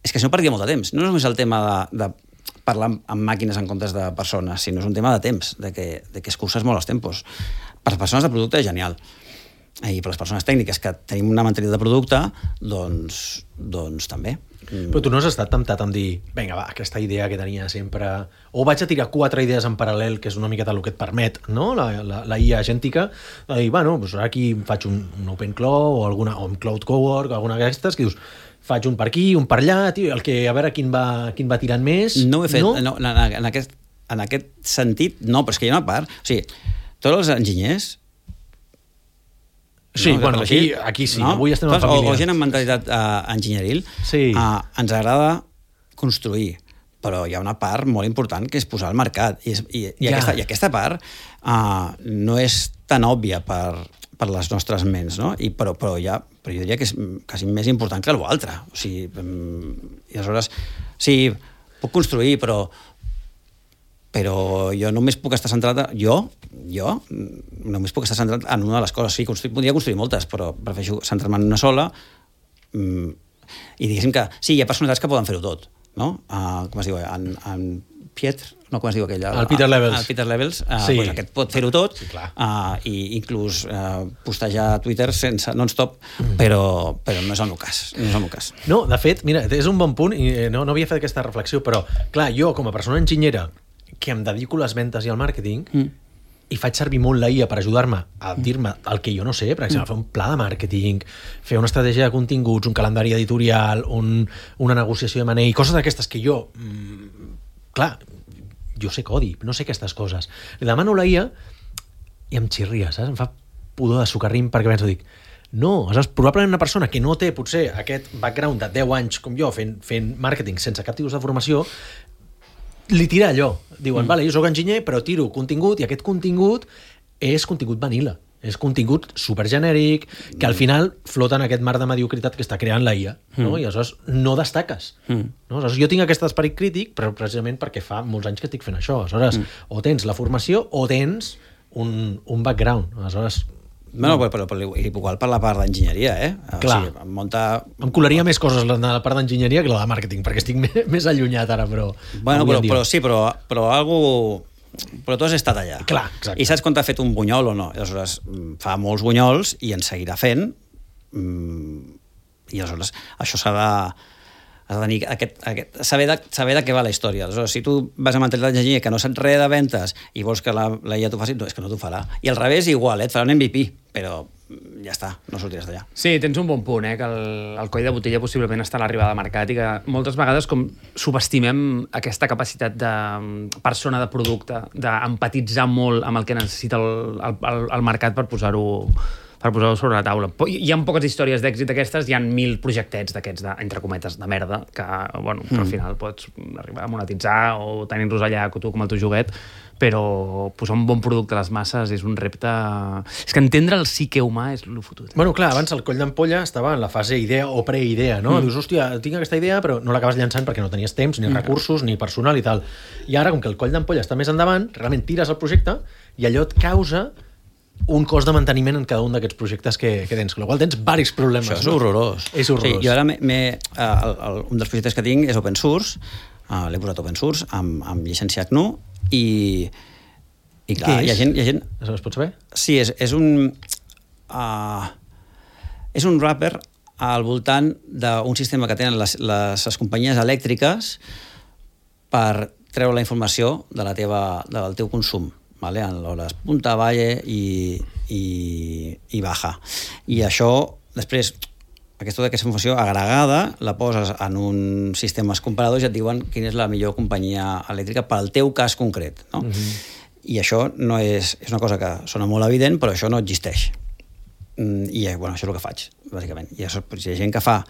Speaker 3: és que si no perdia molt de temps. No és només el tema de parlar amb màquines en comptes de persones, sinó és un tema de temps, de que escurces molt els tempos. Per les persones de producte és genial. I per les persones tècniques que tenim una mentalitat de producte, doncs també.
Speaker 2: Però tu no has estat temptat amb dir vinga, va, aquesta idea que tenia sempre... O vaig a tirar 4 idees en paral·lel, que és una miqueta el que et permet, no? La IA agèntica, de dir, bueno, doncs ara aquí faig un OpenClaw o un Cloud Cowork, alguna d'aquestes, que dius, faig un per aquí, un per allà, tio, a veure quin va tirant més...
Speaker 3: No ho he fet, no, en aquest sentit, no, però és que hi ha una part... O sigui, tots els enginyers...
Speaker 2: Sí, no, bueno, aquí sí, no? Avui estem en família.
Speaker 3: O gent amb mentalitat enginyeril,
Speaker 2: sí.
Speaker 3: Ens agrada construir, però hi ha una part molt important que és posar al mercat. I aquesta part no és tan òbvia per les nostres ments, no? Però jo diria que és quasi més important que l'altre. O sigui, i aleshores, sí, puc construir, però jo només puc estar centrat... Jo només puc estar centrat en una de les coses. Sí, podria construir moltes, però prefereixo centrar-me en una sola i diguéssim que sí, hi ha personalitats que poden fer-ho tot, no? Com es diu? En Pietr, no, com es diu aquell?
Speaker 2: El Peter Levels.
Speaker 3: El Peter Levels, sí. Doncs aquest pot fer-ho tot,
Speaker 2: sí,
Speaker 3: i inclús postejar a Twitter sense non-stop, però no és el meu cas.
Speaker 2: No, de fet, mira, és un bon punt, i no havia fet aquesta reflexió, però, clar, jo, com a persona enginyera, que em dedico a les ventes i al màrqueting, i faig servir molt la IA per ajudar-me a dir-me el que jo no sé, per exemple, fer un pla de màrqueting, fer una estratègia de continguts, un calendari editorial, una negociació de M&A, coses d'aquestes que jo, clar, jo sé codi, no sé aquestes coses. Li demano a la IA i em xirria, saps? Em fa pudor de sucarrim perquè penso, dic, no, saps? Probablement una persona que no té potser aquest background de 10 anys com jo fent màrqueting sense cap tipus de formació, li tira allò. Diuen, vale, jo soc enginyer, però tiro contingut, i aquest contingut és contingut vanilla. És contingut supergenèric, que al final flota en aquest mar de mediocritat que està creant la IA, no? I aleshores no destaques. No? Aleshores, jo tinc aquest esperit crític, però precisament perquè fa molts anys que estic fent això. Aleshores, o tens la formació o tens un background. Aleshores...
Speaker 3: Bueno, però igual per la part d'enginyeria,
Speaker 2: Clar.
Speaker 3: O sigui,
Speaker 2: em colaria més coses la part d'enginyeria que la de màrqueting, perquè estic més allunyat ara, però...
Speaker 3: Bueno, però algú... Però tu has estat allà.
Speaker 2: Clar, exacte.
Speaker 3: I saps quan t'ha fet un bunyol o no? I aleshores fa molts bunyols i en seguirà fent, i aleshores això s'ha de tenir saber de què va la història. Aleshores, si tu vas a mentalitat d'enginyer que no saps res de ventes i vols que la IA t'ho faci, no, és que no t'ho farà. I al revés igual, et farà un MVP, però ja està, no sortiràs d'allà.
Speaker 1: Sí, tens un bon punt, que el coll de botella possiblement està a l'arribada al mercat i que moltes vegades com subestimem aquesta capacitat de persona de producte, d'empatitzar molt amb el que necessita el mercat per posar-ho sobre la taula. Hi ha poques històries d'èxit d'aquestes, hi ha 1000 projectets d'aquests, entre cometes, de merda, que al final pots arribar a monetitzar o tenir-los allà tu com el teu joguet, però posar un bon producte a les masses és un repte... És que entendre el psique humà és el fotut.
Speaker 2: Bueno, clar, abans el coll d'ampolla estava en la fase idea o preidea, no? Dius, hòstia, tinc aquesta idea, però no l'acabes llançant perquè no tenies temps, ni recursos, ni personal i tal. I ara, com que el coll d'ampolla està més endavant, realment tires el projecte i allò et causa un cost de manteniment en cada un d'aquests projectes que tens, amb la qual tens diversos problemes.
Speaker 3: Això és horrorós.
Speaker 2: És horrorós.
Speaker 3: Sí, jo ara un dels projectes que tinc és open source, l'he posat open source, amb llicència GNU, i clar, hi ha gent...
Speaker 2: Es pot saber?
Speaker 3: Sí, és un wrapper al voltant d'un sistema que tenen les companyies elèctriques per treure la informació del teu consum. Vale? En l'hores punta, valle i baja. I això, després, aquesta informació agregada la poses en uns sistemes comparadors i et diuen quina és la millor companyia elèctrica pel teu cas concret. No? I això no és una cosa que sona molt evident, però això no existeix. I això és el que faig, bàsicament. I això, hi ha gent que fa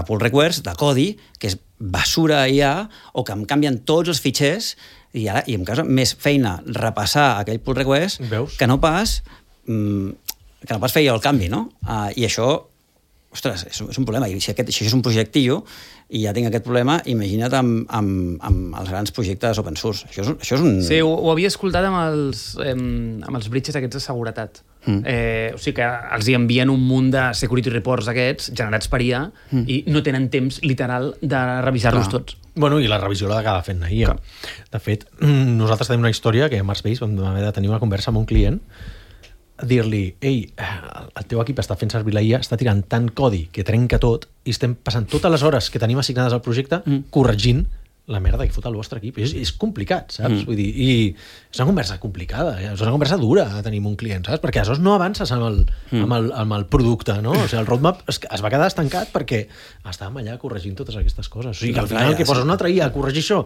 Speaker 3: pull requests de codi, que és basura IA, o que em canvien tots els fitxers i em causa més feina repassar aquell pull request que no pas fer jo el canvi, no? I això, ostres, és un problema. I si això és un projectillo i ja tinc aquest problema, imagina't amb els grans projectes open source. Això és un...
Speaker 1: Sí, ho havia escoltat amb els bridges aquests de seguretat. O sigui que els hi envien un munt de security reports aquests, generats per IA, i no tenen temps literal de revisar-los tots.
Speaker 2: Bueno, i la revisió l'ha d'acabar fent la IA. De fet, nosaltres tenim una història que a Marsbase vam haver de tenir una conversa amb un client dir-li ei, el teu equip està fent servir la IA, està tirant tant codi que trenca tot i estem passant totes les hores que tenim assignades al projecte corregint la merda que fot el vostre equip. És complicat, saps? Vull dir, i és una conversa complicada, és una conversa dura a tenir amb un client, saps? Perquè aleshores no avances amb el producte, no? O sigui, el roadmap es va quedar estancat perquè estàvem allà corregint totes aquestes coses. O sigui, que al final que poses una altra IA a corregir això,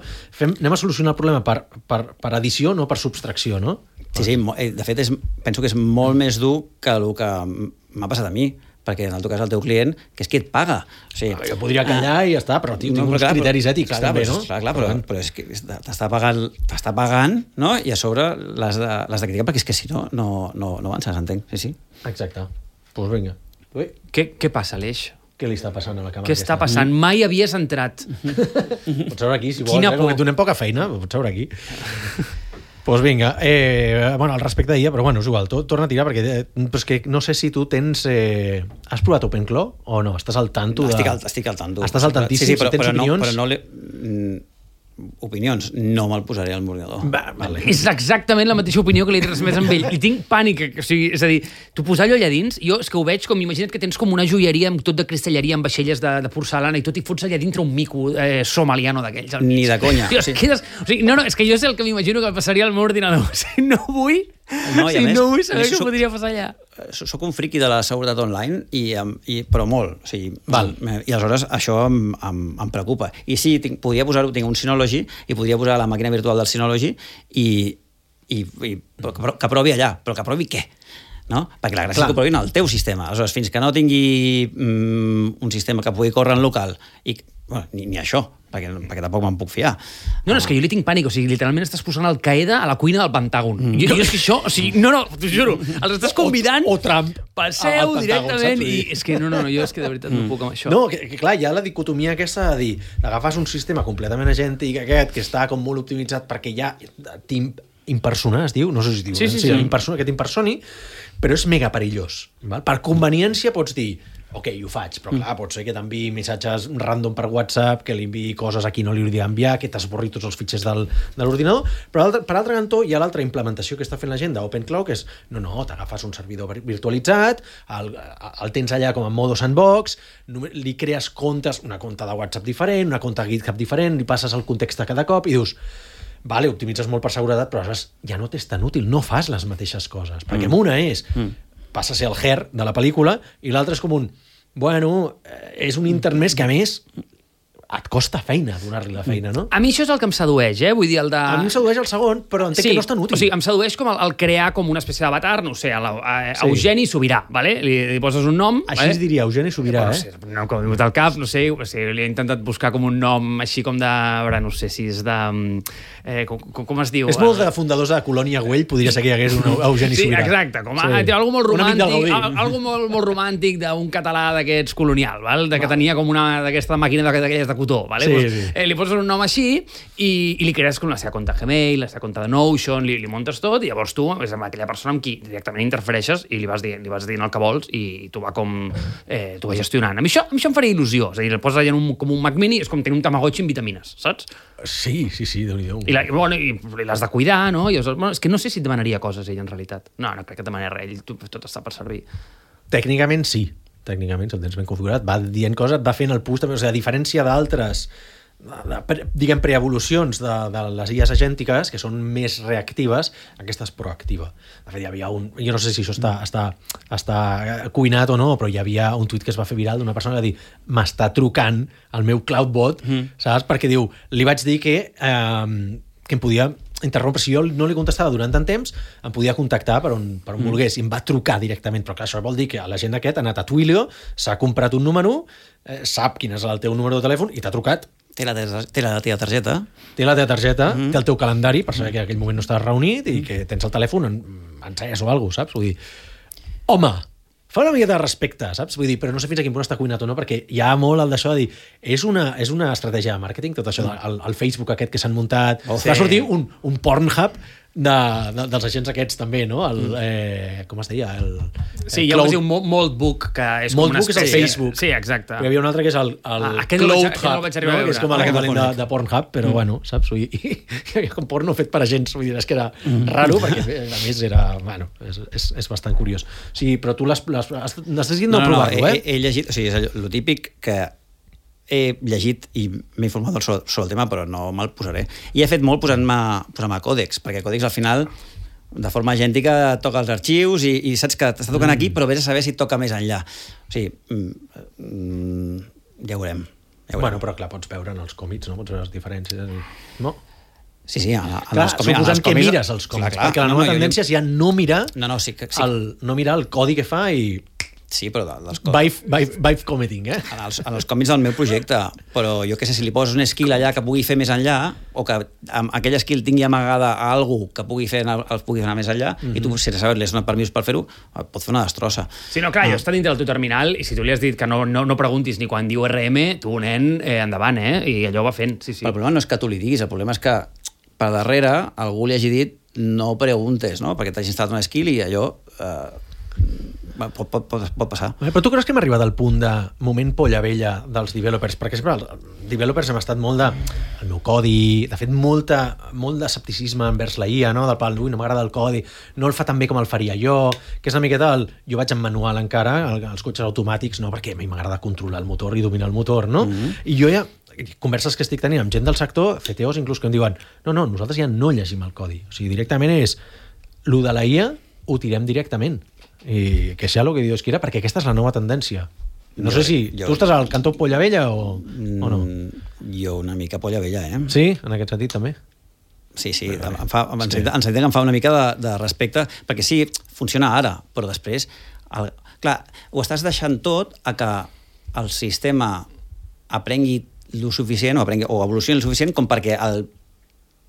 Speaker 2: anem a solucionar el problema per addició, no per subtracció, no?
Speaker 3: Sí, de fet, penso que és molt més dur que el que m'ha passat a mi, perquè en el teu cas el teu client, que és qui et paga. O sigui,
Speaker 2: jo podria callar i ja està, però tinc uns criteris ètics també, no?
Speaker 3: Clar, però és que t'està pagant, no? I a sobre l'has de criticar, perquè és que si no avances, entenc. Sí.
Speaker 2: Exacte. Doncs vinga.
Speaker 1: Què passa, Aleix?
Speaker 2: Què li està passant a la càmera?
Speaker 1: Què està passant? Mai havies entrat.
Speaker 2: Pots seure aquí, si vols, com que donem poca feina, pots seure aquí. Doncs vinga, al respecte d'IA, però és igual, torna a tirar, perquè és que no sé si tu tens... Has provat OpenClaw o no? Estàs al tanto?
Speaker 3: Estic al tanto.
Speaker 2: Estàs al tantíssim, si tens opinions?
Speaker 3: Però no opinions, no me'l posaré al mordidor.
Speaker 1: Vale. És exactament la mateixa opinió que li he transmès amb ell. I tinc pànic. O sigui, és a dir, tu posar allò allà dins, jo és que ho veig com, imagina't que tens com una joieria amb tot de cristalleria, amb vaixelles de porcelana i tot, i fots allà dintre un mico somaliano d'aquells.
Speaker 3: Ni de conya.
Speaker 1: Tio, és que jo sé el que m'imagino que passaria al meu ordinador. O sigui, no vull saber què podria passar allà.
Speaker 3: Soc un friqui de la seguretat online, però molt. O sigui, i aleshores això em preocupa. I sí, podria posar-ho, tinc un Synology, i podria posar la màquina virtual del Synology que provi allà. Però que provi què? No? Perquè la gràcia és que provin el teu sistema. Aleshores, fins que no tingui un sistema que pugui córrer en local, ni això, perquè tampoc me'n puc fiar.
Speaker 1: No, és que jo li tinc pànic, o sigui, literalment estàs posant el Qaeda a la cuina del Pentàgon. Jo és que això, o sigui, t'ho juro, els estàs convidant,
Speaker 2: o Trump,
Speaker 1: passeu directament, i és que no, jo és que de veritat no puc amb això.
Speaker 2: No, que clar, hi ha la dicotomia aquesta de dir, agafes un sistema completament agèntic aquest, que està com molt optimitzat perquè ja impersona, es diu, no sé si es diu,
Speaker 1: sí.
Speaker 2: que t'impersoni, però és mega perillós. Val? Per conveniència pots dir, ok, ho faig, però clar, pot ser que t'enviï missatges random per WhatsApp, que li enviï coses a qui no li hauria d'enviar, que t'esborri tots els fitxers de l'ordinador, però per altre cantó hi ha l'altra implementació que està fent la gent d'OpenClaw, que és, t'agafes un servidor virtualitzat, el tens allà com en modo sandbox, li crees comptes, una compte de WhatsApp diferent, una compte de GitHub diferent, li passes el context a cada cop i dius, vale, optimitzes molt per seguretat, però ja no t'és tan útil, no fas les mateixes coses, perquè una passa a ser el Her de la pel·lícula i l'altre és com és un intermés que a més et costa feina donar-li la feina, no?
Speaker 1: A mi això és el que em sedueix, vull dir, el de...
Speaker 2: A mi em sedueix el segon, però entenc que no és tan útil.
Speaker 1: O sigui, em sedueix com el crear com una espècie d'avatar, no sé, Eugeni Sobirà, ¿vale? Li poses un nom...
Speaker 2: Així es diria, Eugeni Sobirà,
Speaker 1: Un nom que m'ha vingut al cap, no sé, li he intentat buscar com un nom així com de... no sé si és de... com es diu?
Speaker 2: És molt de fundadors de Colònia Güell, podria ser que hi hagués un Eugeni Sobirà.
Speaker 1: Sí, exacte, com algo molt romàntic, algo molt romàntic d'un català d'aquests colonial, que tenia com una d'aquesta màquina d'aquelles de cotó, vale? Li poses un nom així i li crees com la seva compte Gmail, la seva compte de Notion, li muntes tot i llavors tu és amb aquella persona amb qui directament interfereixes i li vas dient el que vols i tu va gestionant. A mi això em faria il·lusió, és a dir, el poses allà com un Mac Mini, és com tenir un Tamagotchi amb vitamines, saps?
Speaker 2: Sí, Déu-n'hi-do.
Speaker 1: I l'has de cuidar, no? És que no sé si et demanaria coses ell en realitat. No crec que et demanaria res, tot està per servir.
Speaker 2: Tècnicament sí. Tècnicament, si el tens ben configurat, va dient coses, va fent el push també, o sigui, a diferència d'altres diguem preevolucions de les IAs agèntiques, que són més reactives, aquesta és proactiva. De fet, hi havia jo no sé si això està cuinat o no, però hi havia un tuit que es va fer viral d'una persona que va dir, m'està trucant el meu CloudBot, saps? Perquè diu, li vaig dir que em podia interrompre, si jo no li contestava durant tant temps, em podia contactar per on volgués, i em va trucar directament, però clar, això vol dir que la gent aquest ha anat a Twilio, s'ha comprat un número, sap quin és el teu número de telèfon i t'ha trucat.
Speaker 3: Té la teva targeta.
Speaker 2: Té la teva targeta, té el teu calendari, per saber que en aquell moment no estàs reunit i que tens el telèfon encès o alguna cosa, saps? Vull dir, home, fa una mica de respecte, saps? Vull dir, però no sé fins a quin punt està cuinat o no, perquè hi ha molt el d'això de dir, és una estratègia de màrqueting, tot això, el Facebook aquest que s'han muntat, va sortir un Pornhub dels agents aquests també, no? Com es deia?
Speaker 1: Sí, hi ha un que es diu Moldbook, que és com una
Speaker 2: Moldbook és el Facebook.
Speaker 1: Sí, exacte.
Speaker 2: Però hi havia un altre que és el
Speaker 1: Cloud Hub,
Speaker 2: que és com l'equivalent de Pornhub, però bueno, saps? I com porno fet per agents, vull dir, és que era raro, perquè a més era... Bueno, és bastant curiós. Sí, però tu necessites no provar-ho, eh?
Speaker 3: He llegit, o sigui, és el típic que he llegit i m'he informat sobre el tema, però no me'l posaré. I he fet molt posant-me còdex, perquè còdex al final, de forma agèntica, toca els arxius i saps que t'està tocant aquí, però vés a saber si toca més enllà. O sigui, ja ho veurem.
Speaker 2: Bueno, però clar, pots veure en els còmics, no? Pots veure les diferències, no?
Speaker 3: Sí,
Speaker 2: clar, suposant que mires els còmics, perquè la nova tendència és ja no mirar el codi que fa i...
Speaker 3: Sí, però dels
Speaker 2: Vive committing, eh?
Speaker 3: En els còmics del meu projecte, però jo què sé, si li poses un skill allà que pugui fer més enllà, o que aquell skill tingui amagada a algú que pugui fer anar més enllà, i tu, sense saber-li, has donat permís per fer-ho, pot fer una destrossa.
Speaker 1: Sí, no, clar, jo està dintre del teu terminal, i si tu li has dit que no preguntis ni quan diu RM, tu, nen, endavant, i allò va fent, sí.
Speaker 3: Però el problema no és que tu li diguis, el problema és que per darrere algú li hagi dit no preguntes, no? Perquè t'has instal·lat un skill i allò... pot passar.
Speaker 2: Però tu creus que hem arribat al punt de moment polla vella dels developers? Perquè sempre els developers hem estat molt el meu codi, de fet molt d'escepticisme envers la IA, no? Del pal, no m'agrada el codi, no el fa tan bé com el faria jo, que és una miqueta jo vaig en manual encara, els cotxes automàtics, no? Perquè a mi m'agrada controlar el motor i dominar el motor, no? I jo ja converses que estic tenint amb gent del sector, CTOs inclús, que em diuen no, nosaltres ja no llegim el codi, o sigui, directament és lo de la IA ho tirem directament i que sea lo que Dios quiera, perquè aquesta és la nova tendència. No sé si tu estàs al cantó polla vella o no.
Speaker 3: Jo una mica polla vella, eh?
Speaker 2: Sí, en aquest sentit també.
Speaker 3: Sí, em fa una mica de respecte, perquè sí, funciona ara, però després clar, ho estàs deixant tot a que el sistema aprengui lo suficient o evolucioni el suficient com perquè el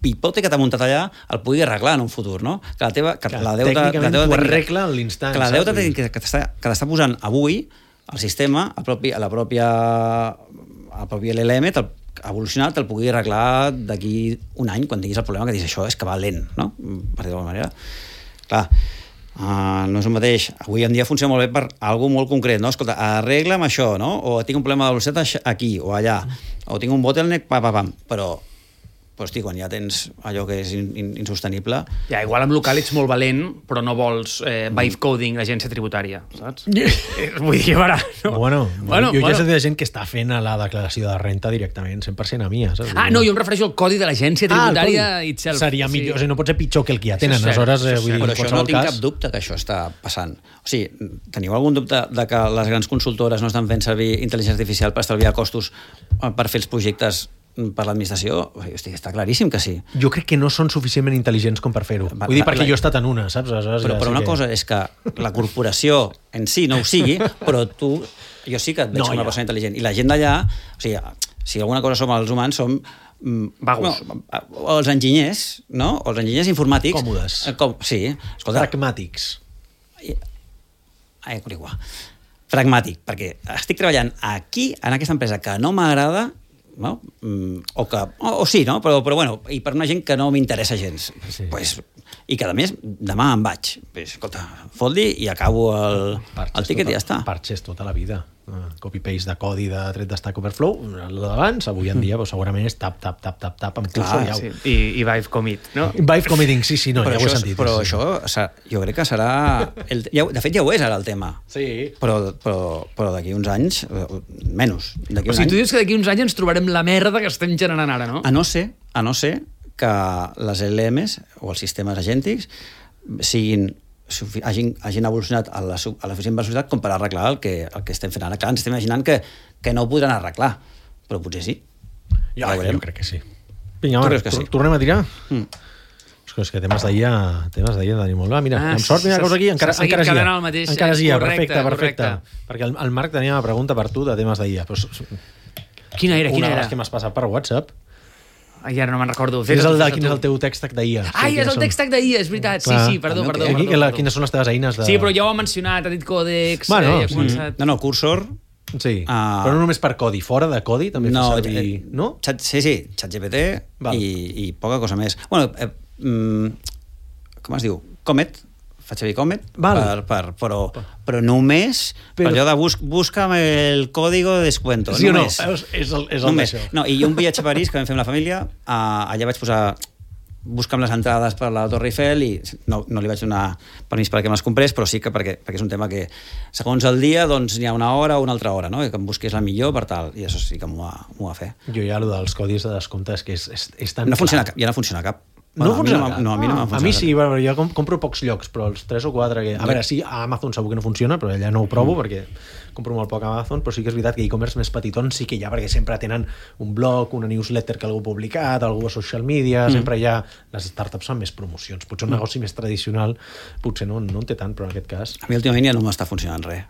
Speaker 3: pipote que t'ha muntat allà el pugui arreglar en un futur, no? Que la deuta
Speaker 2: tècnicament ho arregla a l'instant.
Speaker 3: Que la deuta que t'està posant avui el sistema, el propi LLM evolucionat te'l pugui arreglar d'aquí un any, quan tinguis el problema que dius això és que va lent, no? Per dir-ho d'alguna manera. Clar, no és el mateix. Avui en dia funciona molt bé per algú molt concret, no? Escolta, arregla'm això, no? O tinc un problema de velocitat aquí o allà, o tinc un bottleneck, però hosti, quan ja tens allò que és insostenible...
Speaker 1: Ja, igual amb local ets molt valent, però no vols vibe coding l'agència tributària, saps? Vull dir, ara... No.
Speaker 2: Bueno, jo ja sé de gent que està fent la declaració de renta directament, 100% a mi, saps?
Speaker 1: No, jo em refereixo al codi de l'agència tributària itself.
Speaker 2: Seria millor, o sigui, no pot ser pitjor que el que ja tenen, aleshores...
Speaker 3: Però això no tinc cap dubte que això està passant. O sigui, teniu algun dubte de que les grans consultores no estan fent servir intel·ligència artificial per estalviar costos per fer els projectes per l'administració? Hosti, està claríssim que sí.
Speaker 2: Jo crec que no són suficientment intel·ligents com per fer-ho. Vull dir, perquè jo he estat en una, saps?
Speaker 3: Però una cosa és que la corporació en si no ho sigui, però jo sí que et veig com una persona intel·ligent. I la gent d'allà, o sigui, si alguna cosa som els humans, som
Speaker 1: vagos.
Speaker 3: O els enginyers, no? O els enginyers informàtics.
Speaker 2: Còmodes.
Speaker 3: Sí. Escolta,
Speaker 2: pragmàtics.
Speaker 3: Pragmàtic, perquè estic treballant aquí, en aquesta empresa que no m'agrada, no? O sí, no? Però bueno, i per una gent que no m'interessa gens. Sí. Pues, i que a més demà em vaig. Pues, escolta, fot-li i acabo el tiquet i ja està.
Speaker 2: Parches tota la vida. Copy-paste de codi de tret de Stack Overflow, el d'abans, avui en dia segurament és tap, amb cursor i au.
Speaker 1: I vibe commit, no?
Speaker 2: Vibe committing, sí, no, ja ho he sentit.
Speaker 3: Però això jo crec que serà... De fet, ja ho és ara el tema.
Speaker 2: Sí.
Speaker 3: Però d'aquí uns anys, menys.
Speaker 1: O sigui, tu dius que d'aquí uns anys ens trobarem la merda que estem generant ara, no?
Speaker 3: A no ser que les LLMs o els sistemes agèntics hagin evolucionat a la suficient velocitat com per arreglar el que estem fent ara. Clar, ens estem imaginant que no ho podran arreglar, però potser sí.
Speaker 2: Jo crec que sí. Vinga, tornem a tirar? És que temes d'ahir tenim molt. Mira, amb sort, mira, aquí, encara és IA, perfecte. Perquè el Marc tenia una pregunta per tu de temes d'ahir.
Speaker 1: Quina era?
Speaker 2: Una de les que m'has passat per WhatsApp.
Speaker 1: Ai, ara no me'n recordo.
Speaker 2: Quin és el teu text d'IA?
Speaker 1: Ai, és el text d'IA, és veritat. Sí, perdó.
Speaker 2: Quines són les teves eines?
Speaker 1: Sí, però ja ho ha mencionat, ha dit còdex...
Speaker 3: No, Cursor...
Speaker 2: Sí, però no només per codi, fora de codi també fa servir... No?
Speaker 3: Sí, ChatGPT i poca cosa més. Bueno, com es diu? Comet, faig servir Comet, però només per allò de busca'm el código de descuento.
Speaker 2: Sí
Speaker 3: només.
Speaker 2: o no? És el d'això.
Speaker 3: No, i un viatge a París que vam fer amb la família, allà vaig posar busca'm les entrades per la Torre Eiffel i no li vaig donar permís perquè me les comprés, però sí que perquè és un tema que segons el dia doncs n'hi ha una hora o una altra hora, no? I que em busqués la millor per tal, i això sí que m'ho va fer.
Speaker 2: Jo ja allò dels codis de descompte és que és tan
Speaker 3: no funciona cap, ja no funciona cap.
Speaker 2: No funciona cap?
Speaker 3: No, a mi no m'ha funcionat.
Speaker 2: A mi sí, jo compro pocs llocs, però els 3 o 4 que... A veure, sí, a Amazon segur que no funciona, però allà no ho provo perquè compro molt poc a Amazon, però sí que és veritat que e-commerce més petitons sí que hi ha, perquè sempre tenen un blog, una newsletter que algú ha publicat, algú a social media, sempre hi ha... Les startups fan més promocions. Potser un negoci més tradicional potser no en té tant, però en aquest cas...
Speaker 3: A mi últimament ja no m'està funcionant res.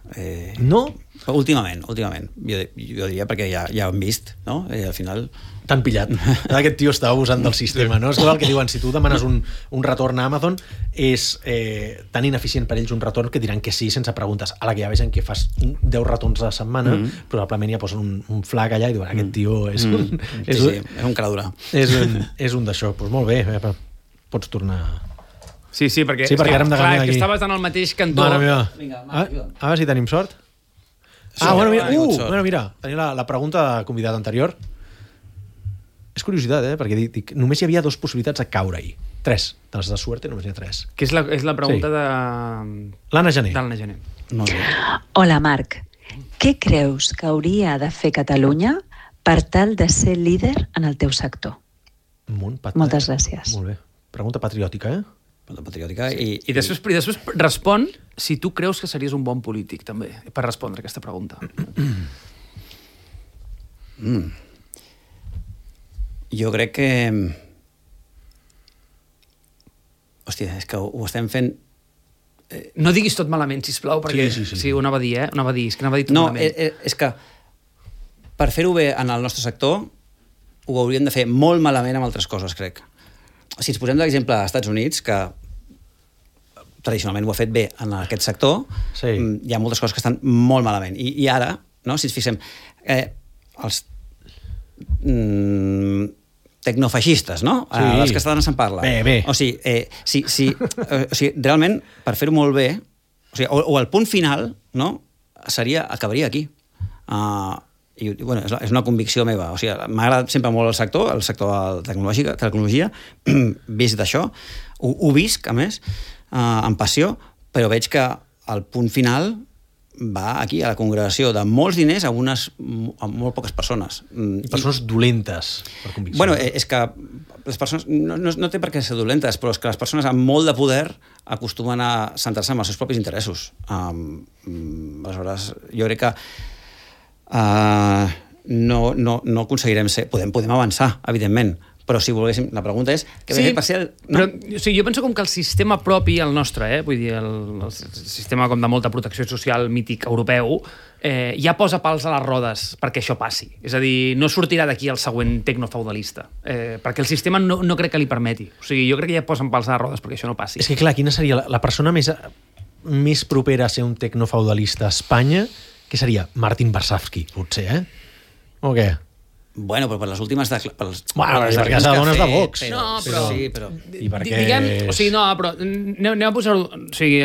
Speaker 2: No?
Speaker 3: Últimament. Jo diria perquè ja ho hem vist, no? I al final...
Speaker 2: T'han pillat. Aquest tio està abusant del sistema, no? És el que diuen, si tu demanes un retorn a Amazon, és tan ineficient per ells un retorn que diran que sí sense preguntes. A la que ja vegen que fas 10 retorns a la setmana, probablement ja posen un flag allà i diuen, aquest tio és un...
Speaker 3: és un cara dura.
Speaker 2: És un d'això. Doncs molt bé, pots tornar...
Speaker 1: Sí, perquè
Speaker 2: ara hem de canviar aquí.
Speaker 1: Que estaves en el mateix cantó.
Speaker 2: Mare meva.
Speaker 3: Vinga,
Speaker 2: a veure si tenim sort. Mira, tenia la pregunta de convidat anterior. És curiositat, perquè dic, només hi havia 2 possibilitats de caure-hi. 3. De les de suerte només hi ha 3.
Speaker 1: Que és la pregunta de...
Speaker 2: L'Anna Gené.
Speaker 1: D'Anna Gené.
Speaker 4: Hola, Marc. Què creus que hauria de fer Catalunya per tal de ser líder en el teu sector? Moltes gràcies.
Speaker 2: Molt bé. Pregunta patriòtica,
Speaker 3: Pregunta patriòtica.
Speaker 1: Sí. I després respon si tu creus que series un bon polític, també, per respondre aquesta pregunta.
Speaker 3: Jo crec que... Hòstia, és que ho estem fent...
Speaker 1: No diguis tot malament, sisplau, perquè... Sí, ho anava a dir, Ho anava a dir, és que anava a dir tot malament.
Speaker 3: No, és que per fer-ho bé en el nostre sector ho hauríem de fer molt malament amb altres coses, crec. Si ens posem d'exemple als Estats Units, que tradicionalment ho ha fet bé en aquest sector, hi ha moltes coses que estan molt malament. I ara, no, si ens fixem, els tecnofeixistes, no? Les catalanes se'n parla.
Speaker 2: Bé.
Speaker 3: O sigui, realment, per fer-ho molt bé, o el punt final, no?, acabaria aquí. I, bueno, és una convicció meva. O sigui, m'ha agradat sempre molt el sector de tecnologia, vist d'això, ho visc, a més, amb passió, però veig que el punt final va aquí, a la congregació de molts diners a molt poques persones.
Speaker 2: Persones dolentes, per convicció.
Speaker 3: Bueno, és que les persones... No té per què ser dolentes, però és que les persones amb molt de poder acostumen a centrar-se en els seus propis interessos. Aleshores, jo crec que no aconseguirem ser... Podem avançar, evidentment, però si volguéssim... La pregunta és...
Speaker 1: Però jo penso com que el sistema propi, el nostre, vull dir, el sistema com de molta protecció social mític europeu, ja posa pals a les rodes perquè això passi. És a dir, no sortirà d'aquí el següent tecnofeudalista, perquè el sistema no crec que li permeti. O sigui, jo crec que ja posen pals a les rodes perquè això no passi.
Speaker 2: És que, clar, quina seria la persona més propera a ser un tecnofeudalista a Espanya? Què seria? Martin Varsavsky, potser, O què?
Speaker 3: Bueno, però per les últimes...
Speaker 2: perquè s'ha dones de Vox.
Speaker 3: Sí, però...
Speaker 2: I perquè...
Speaker 1: Diguem, o sigui, no, però anem a posar-ho... O sigui,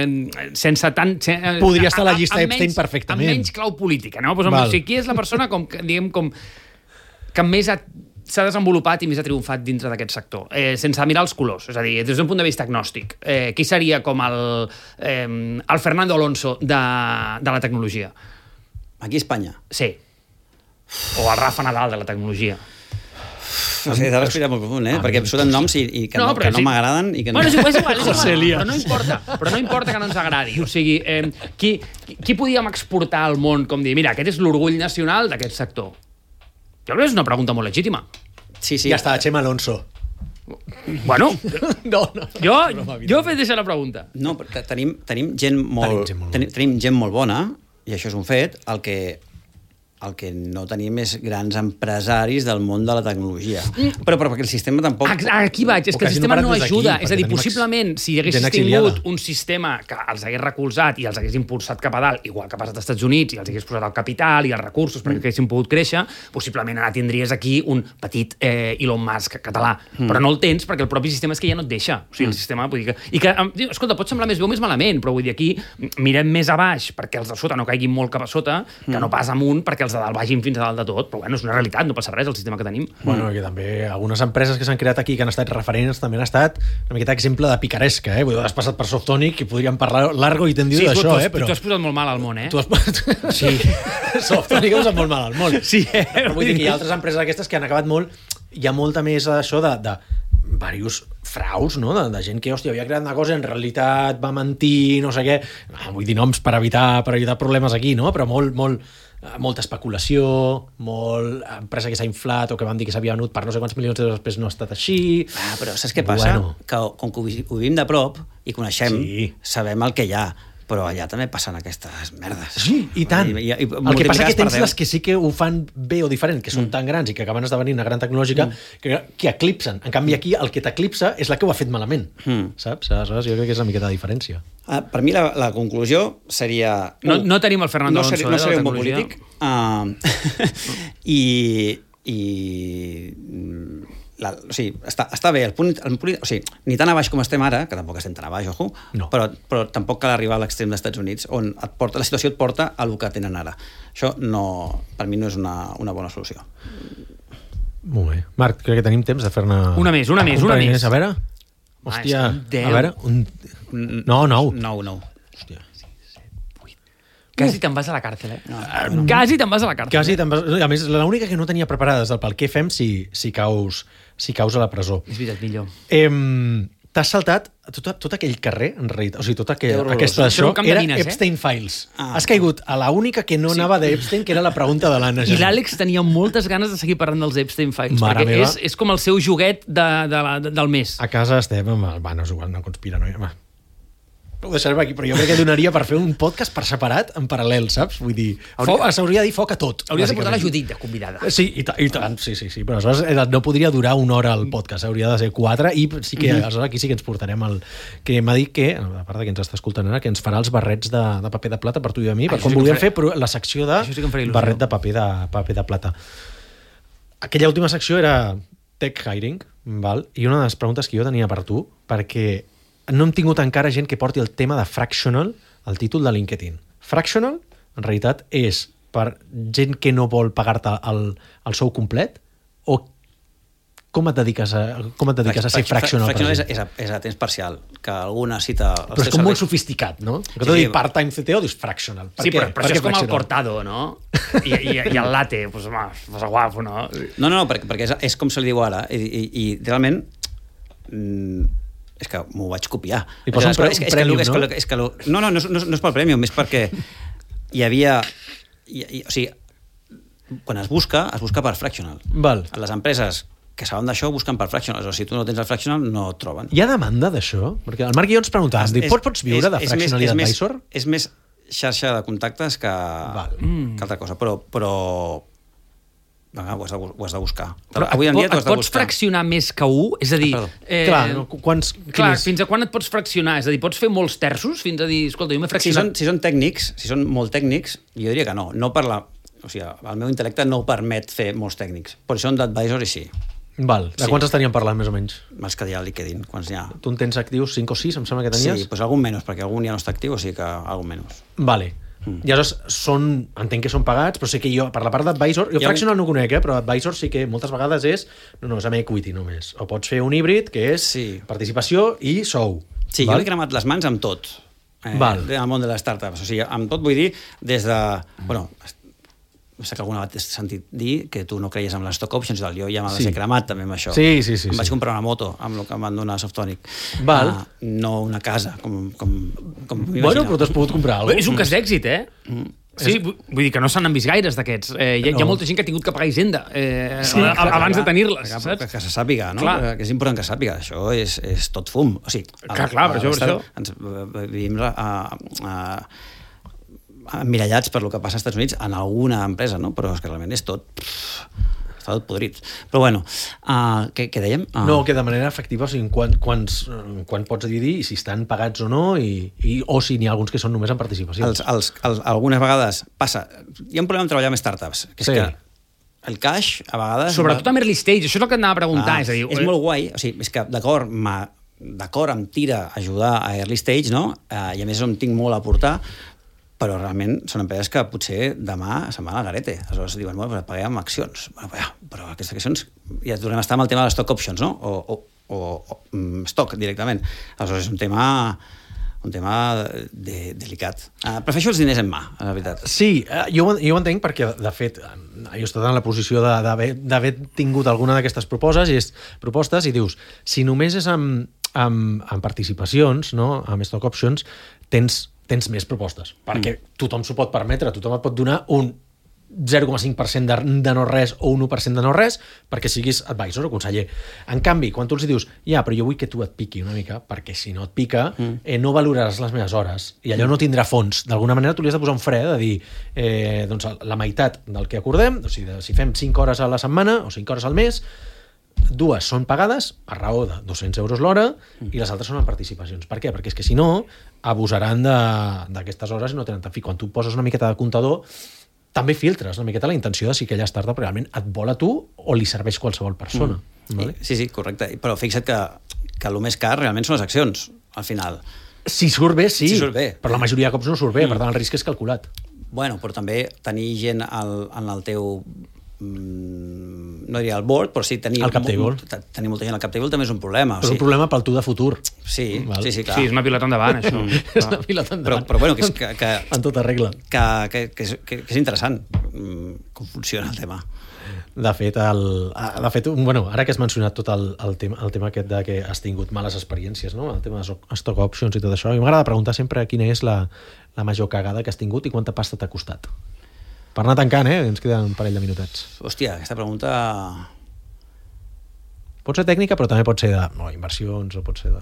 Speaker 1: sense tant...
Speaker 2: Podria estar a la llista Epstein perfectament.
Speaker 1: Amb menys clau política, no? O sigui, qui és la persona que més s'ha desenvolupat i més ha triomfat dintre d'aquest sector, sense mirar els colors, és a dir, des d'un punt de vista agnòstic. Qui seria com el Fernando Alonso de la tecnologia?
Speaker 3: Aquí a Espanya?
Speaker 1: Sí. O el Rafa Nadal de la tecnologia.
Speaker 3: Has de respirar molt profund, perquè em surten noms i que no m'agraden i que no...
Speaker 1: Bueno, és igual, però no importa que no ens agradi. O sigui, qui podíem exportar al món com dir, mira, aquest és l'orgull nacional d'aquest sector? Jo crec que és una pregunta molt legítima.
Speaker 3: Sí.
Speaker 2: Ja està, Chema Alonso.
Speaker 1: Bueno,
Speaker 2: no.
Speaker 1: Jo he fet deixar la pregunta.
Speaker 3: No, però tenim gent molt bona, i això és un fet, el que el que no tenim és grans empresaris del món de la tecnologia. Però perquè el sistema tampoc...
Speaker 1: Aquí vaig, és que el sistema no ajuda. És a dir, possiblement, si haguessis tingut un sistema que els hagués recolzat i els hagués impulsat cap a dalt, igual que ha passat als Estats Units, i els hagués posat el capital i els recursos perquè haguessin pogut créixer, possiblement ara tindries aquí un petit Elon Musk català. Però no el tens perquè el propi sistema és que ja no et deixa. O sigui, el sistema... Vull dir que, escolta, pot semblar més bé o més malament, però vull dir, aquí mirem més a baix perquè els de sota no caiguin molt cap a sota, que no pas amunt perquè els de dalt vagin fins a dalt de tot, però bueno, és una realitat, no passa res el sistema que tenim.
Speaker 2: Bueno, que també algunes empreses que s'han creat aquí que han estat referents també han estat una miqueta exemple de picaresca, Vull dir, has passat per Softonic i podríem parlar largo i tendido d'això,
Speaker 1: però... tu has posat molt mal al món,
Speaker 2: Tu has... Sí, Softonic ha posat molt mal al món.
Speaker 1: Sí,
Speaker 2: però vull dir que hi ha altres empreses aquestes que han acabat molt... Hi ha molta més d'això de diversos fraus, no? De gent que, hòstia, havia creat una cosa i en realitat va mentir, no sé què. Vull dir noms per evitar problemes aquí, no? Però molta especulació, molt empresa que s'ha inflat o que van dir que s'havia venut per no sé quants milions d'euros, després no ha estat així.
Speaker 3: Però saps què passa? Que com que ho vivim de prop i coneixem, sabem el que hi ha, però allà també passen aquestes merdes.
Speaker 2: Sí, i tant. El que passa que tens les que sí que ho fan bé o diferent, que són tan grans i que acaben esdevenint una gran tecnològica, que eclipsen. En canvi, aquí el que t'eclipsa és la que ho ha fet malament. Saps? Aleshores, jo crec que és una miqueta de diferència.
Speaker 3: Per mi la conclusió seria...
Speaker 1: No tenim el Fernando Alonso,
Speaker 3: no seré un bon polític. O sigui, està bé, o sigui, ni tan a baix com estem ara, que tampoc estem tan a baix, ojo, però tampoc cal arribar a l'extrem dels Estats Units, on la situació et porta a el que tenen ara. Això per mi no és una bona solució.
Speaker 2: Molt bé. Marc, crec que tenim temps de fer-ne...
Speaker 1: Una més.
Speaker 2: A veure... Hòstia, a veure... No,
Speaker 3: 9.
Speaker 2: Hòstia.
Speaker 1: Quasi te'n vas a la càrcel, Quasi te'n vas a la càrcel.
Speaker 2: A més, l'única que no tenia preparada és el pel què fem si caus a la presó.
Speaker 1: És veritat, millor.
Speaker 2: T'has saltat tot aquell carrer, en realitat. O sigui, tota aquesta d'això era Epstein Files. Has caigut a l'única que no anava d'Epstein, que era la pregunta de l'Anna.
Speaker 1: I l'Àlex tenia moltes ganes de seguir parlant dels Epstein Files, perquè és com el seu joguet del mes.
Speaker 2: A casa estem amb el... no és igual, no conspira, no... Ho deixarem aquí, però jo crec que donaria per fer un podcast per separat, en paral·lel, saps? Vull dir, s'hauria de dir foc a tot.
Speaker 1: Hauries de portar la Judit de convidada.
Speaker 2: Sí, i tant, sí, però aleshores no podria durar una hora el podcast, hauria de ser 4, i sí que aleshores aquí sí que ens portarem el... Que m'ha dit que, a part que ens està escoltant ara, que ens farà els barrets de paper de plata per tu i a mi, per com volíem fer la secció de barret de paper de plata. Aquella última secció era tech hiring, i una de les preguntes que jo tenia per tu, perquè no hem tingut encara gent que porti el tema de fractional al títol de LinkedIn. Fractional, en realitat, és per gent que no vol pagar-te el sou complet o com et dediques a ser fractional?
Speaker 3: Fractional és a temps parcial, que algú necessita...
Speaker 2: Però és com molt sofisticat, no? Que tu dius part-time CTO, dius fractional.
Speaker 1: Sí, però això és com el cortado, no? I el latte, pues guapo, no?
Speaker 3: No, perquè és com se li diu ara, i realment... És que m'ho vaig copiar.
Speaker 2: I posa un prèmium, no?
Speaker 3: No és pel prèmium, és perquè hi havia... O sigui, quan es busca per fractional. Les empreses que saben d'això busquen per fractional. O sigui, si tu no tens el fractional, no et troben.
Speaker 2: Hi ha demanda d'això? Perquè el Marc i jo ens preguntàvem, pots viure de fractional i d'advisor?
Speaker 3: És més xarxa de contactes que altra cosa, però ho has de buscar. Avui en dia t'ho has de buscar.
Speaker 1: Et pots fraccionar més que 1? És a dir...
Speaker 2: Clar,
Speaker 1: fins a quan et pots fraccionar? És a dir, pots fer molts terços fins a dir, escolta, jo m'he fraccionat...
Speaker 3: Si són tècnics, si són molt tècnics, jo diria que no. O sigui, el meu intel·lecte no permet fer molts tècnics. Però si són d'advisor, i sí.
Speaker 2: De quants estaríem parlant, més o menys?
Speaker 3: Els que hi ha a LinkedIn, quants n'hi ha.
Speaker 2: Tu en tens actius 5 o 6, em sembla que tenies?
Speaker 3: Sí, doncs algun menys, perquè algun ja no està actiu, o sigui que algun menys.
Speaker 2: Vale. I aleshores entenc que són pagats, però sé que jo, per la part d'advisor, jo fractional no ho conec, però advisor sí que moltes vegades és amb equity només. O pots fer un híbrid, que és participació i sou.
Speaker 3: Sí, jo he cremat les mans amb tot. En el món de les startups. O sigui, amb tot vull dir, des de... No sé que alguna vegada t'he sentit dir que tu no creies en les stock options, jo ja m'ha de ser cremat també amb això.
Speaker 2: Sí.
Speaker 3: Em vaig comprar una moto amb el que em van donar Softonic. No una casa, com
Speaker 2: Bueno, però t'has pogut comprar alguna cosa.
Speaker 1: És un cas d'èxit, Sí, vull dir que no se n'han vist gaires d'aquests. Hi ha molta gent que ha tingut que pagar Hisenda abans de tenir-les, saps?
Speaker 3: Que se sàpiga, no? Que és important que sàpiga. Això és tot fum. O sigui,
Speaker 1: clar, per això.
Speaker 3: Vivim emmirallats per lo que passa als Estats Units en alguna empresa, no? Però és que realment és tot... està tot podrit. Però bueno, què dèiem?
Speaker 2: No, que de manera efectiva, o sigui, quan pots dividir i si estan pagats o no, o si n'hi ha alguns que són només en participacions.
Speaker 3: Algunes vegades passa... Hi ha un problema amb treballar amb startups, que és que el cash, a vegades...
Speaker 1: Sobretot amb early stage, això és el que et anava a preguntar.
Speaker 3: És molt guai, o sigui, és que d'acord em tira ajudar a early stage, no? I a més em tinc molt a aportar, però realment són empreses que potser demà se'n van al garete. Aleshores diuen, bueno, paguem amb accions. Però aquestes accions... Ja tornem a estar amb el tema de les stock options, no? O stock, directament. Aleshores és un tema delicat. Prefereixo els diners en mà, la veritat.
Speaker 2: Sí, jo ho entenc perquè, de fet, jo he estat en la posició d'haver tingut alguna d'aquestes propostes i dius, si només és amb participacions, no? Amb stock options, tens més propostes, perquè tothom s'ho pot permetre, tothom et pot donar un 0,5% de no res o un 1% de no res perquè siguis advisor o conseller. En canvi, quan tu els dius, però jo vull que tu et piqui una mica, perquè si no et pica no valoraràs les meves hores i allò no tindrà fons. D'alguna manera tu li has de posar un fre de dir doncs la meitat del que acordem, o sigui, si fem 5 hores a la setmana o 5 hores al mes, 2 són pagades a raó de 200 euros l'hora i les altres són en participacions. Per què? Perquè és que si no abusaran d'aquestes hores i no tenen tant fi. Quan tu poses una miqueta de comptador també filtres una miqueta la intenció de si aquella startup realment et vol a tu o li serveix qualsevol persona. Vale?
Speaker 3: Sí, correcte. Però fixa't que el més car realment són les accions, al final.
Speaker 2: Si surt bé, sí.
Speaker 3: Si surt bé.
Speaker 2: Però la majoria de cops no surt bé, per tant el risc és calculat.
Speaker 3: Bueno, però també tenir gent en el teu... no diria el board, però sí tenir
Speaker 2: el cap table.
Speaker 3: Tenir molta gent al cap table també és un problema.
Speaker 2: Però és un problema pel tu de futur.
Speaker 3: Sí, clar.
Speaker 1: Sí, és una pilota endavant, això.
Speaker 2: És una pilota endavant.
Speaker 3: Però bueno, que
Speaker 2: en tota regla.
Speaker 3: Que és interessant com funciona el tema.
Speaker 2: De fet, ara que has mencionat tot el tema aquest de que has tingut males experiències, no? El tema de stock options i tot això, i m'agrada preguntar sempre quina és la major cagada que has tingut i quanta pasta t'ha costat. Per anar tancant, ens queden un parell de minutets.
Speaker 3: Hòstia, aquesta pregunta...
Speaker 2: Pot ser tècnica, però també pot ser d'inversions o pot ser de...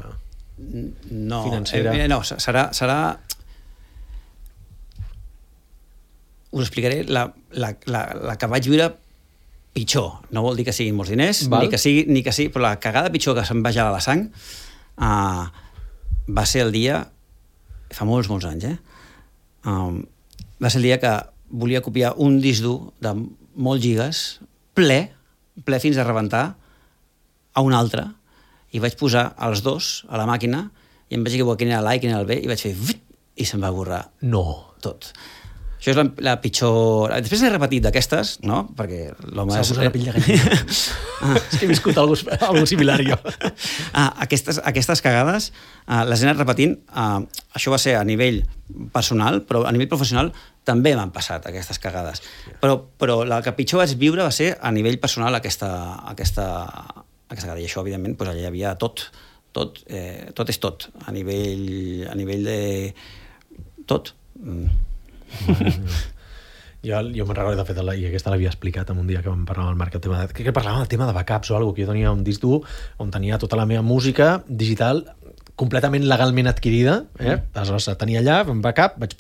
Speaker 2: financera.
Speaker 3: No, serà... Us explicaré la que vaig viure pitjor. No vol dir que siguin molts diners, ni que sigui, però la cagada pitjor que se'm va gelar la sang va ser el dia... Fa molts anys, va ser el dia que volia copiar un disc dur de molts gigas, ple fins a rebentar, a un altre, i vaig posar els dos a la màquina i em vaig equivocar quin era l'A i quin era el B i vaig fer i se'm va borrar tot. Això és la pitjor... Després n'he repetit d'aquestes, no? Perquè l'home...
Speaker 2: S'ha posat la pell de gallina. És que he viscut algo similar, jo.
Speaker 3: Aquestes cagades les he anat repetint. Això va ser a nivell personal, però a nivell professional també m'han passat aquestes cagades. Però la que pitjor vaig viure va ser a nivell personal aquesta cagada. I això, evidentment, allà hi havia tot és tot. A nivell de... tot.
Speaker 2: Jo me'n recordo, de fet, i aquesta l'havia explicat en un dia que vam parlar amb el Marc, que parlàvem del tema de backups o alguna cosa, que jo tenia un disc dur on tenia tota la meva música digital completament legalment adquirida, aleshores tenia allà, un backup, vaig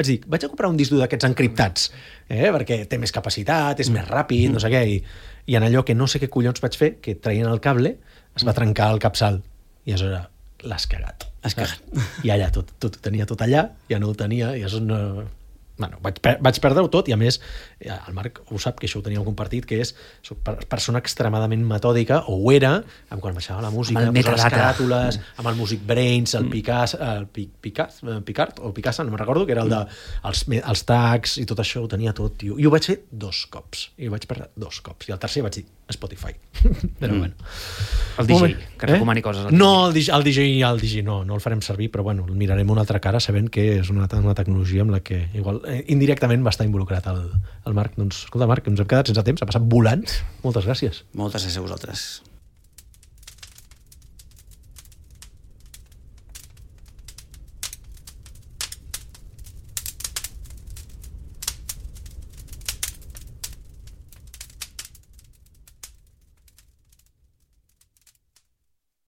Speaker 2: dir, vaig a comprar un disc dur d'aquests encriptats, perquè té més capacitat, és més ràpid, no sé què, i en allò que no sé què collons vaig fer, que traient el cable, es va trencar el capçal, i aleshores l'has cagat. I allà tot ho tenia tot allà, ja no ho tenia, i això no... Bueno, vaig perdre-ho tot, i a més el Marc ho sap, que això ho teníem compartit, que soc persona extremadament metòdica, o ho era, quan baixava la música, posar les caràtules, amb el Music Brains, el Picasa, no me'n recordo, que era el dels tags i tot això, ho tenia tot, i ho vaig fer 2 cops, i ho vaig perdre 2 cops, i el tercer vaig dir Spotify. Però bueno.
Speaker 1: El DJ, que recomani coses.
Speaker 2: No, el DJ no el farem servir, però bueno, el mirarem una altra cara sabent que és una tecnologia amb la que igual indirectament va estar involucrat el Marc. Doncs, escolta, Marc, ens hem quedat sense temps, ha passat volant. Moltes gràcies.
Speaker 3: Moltes gràcies a vosaltres.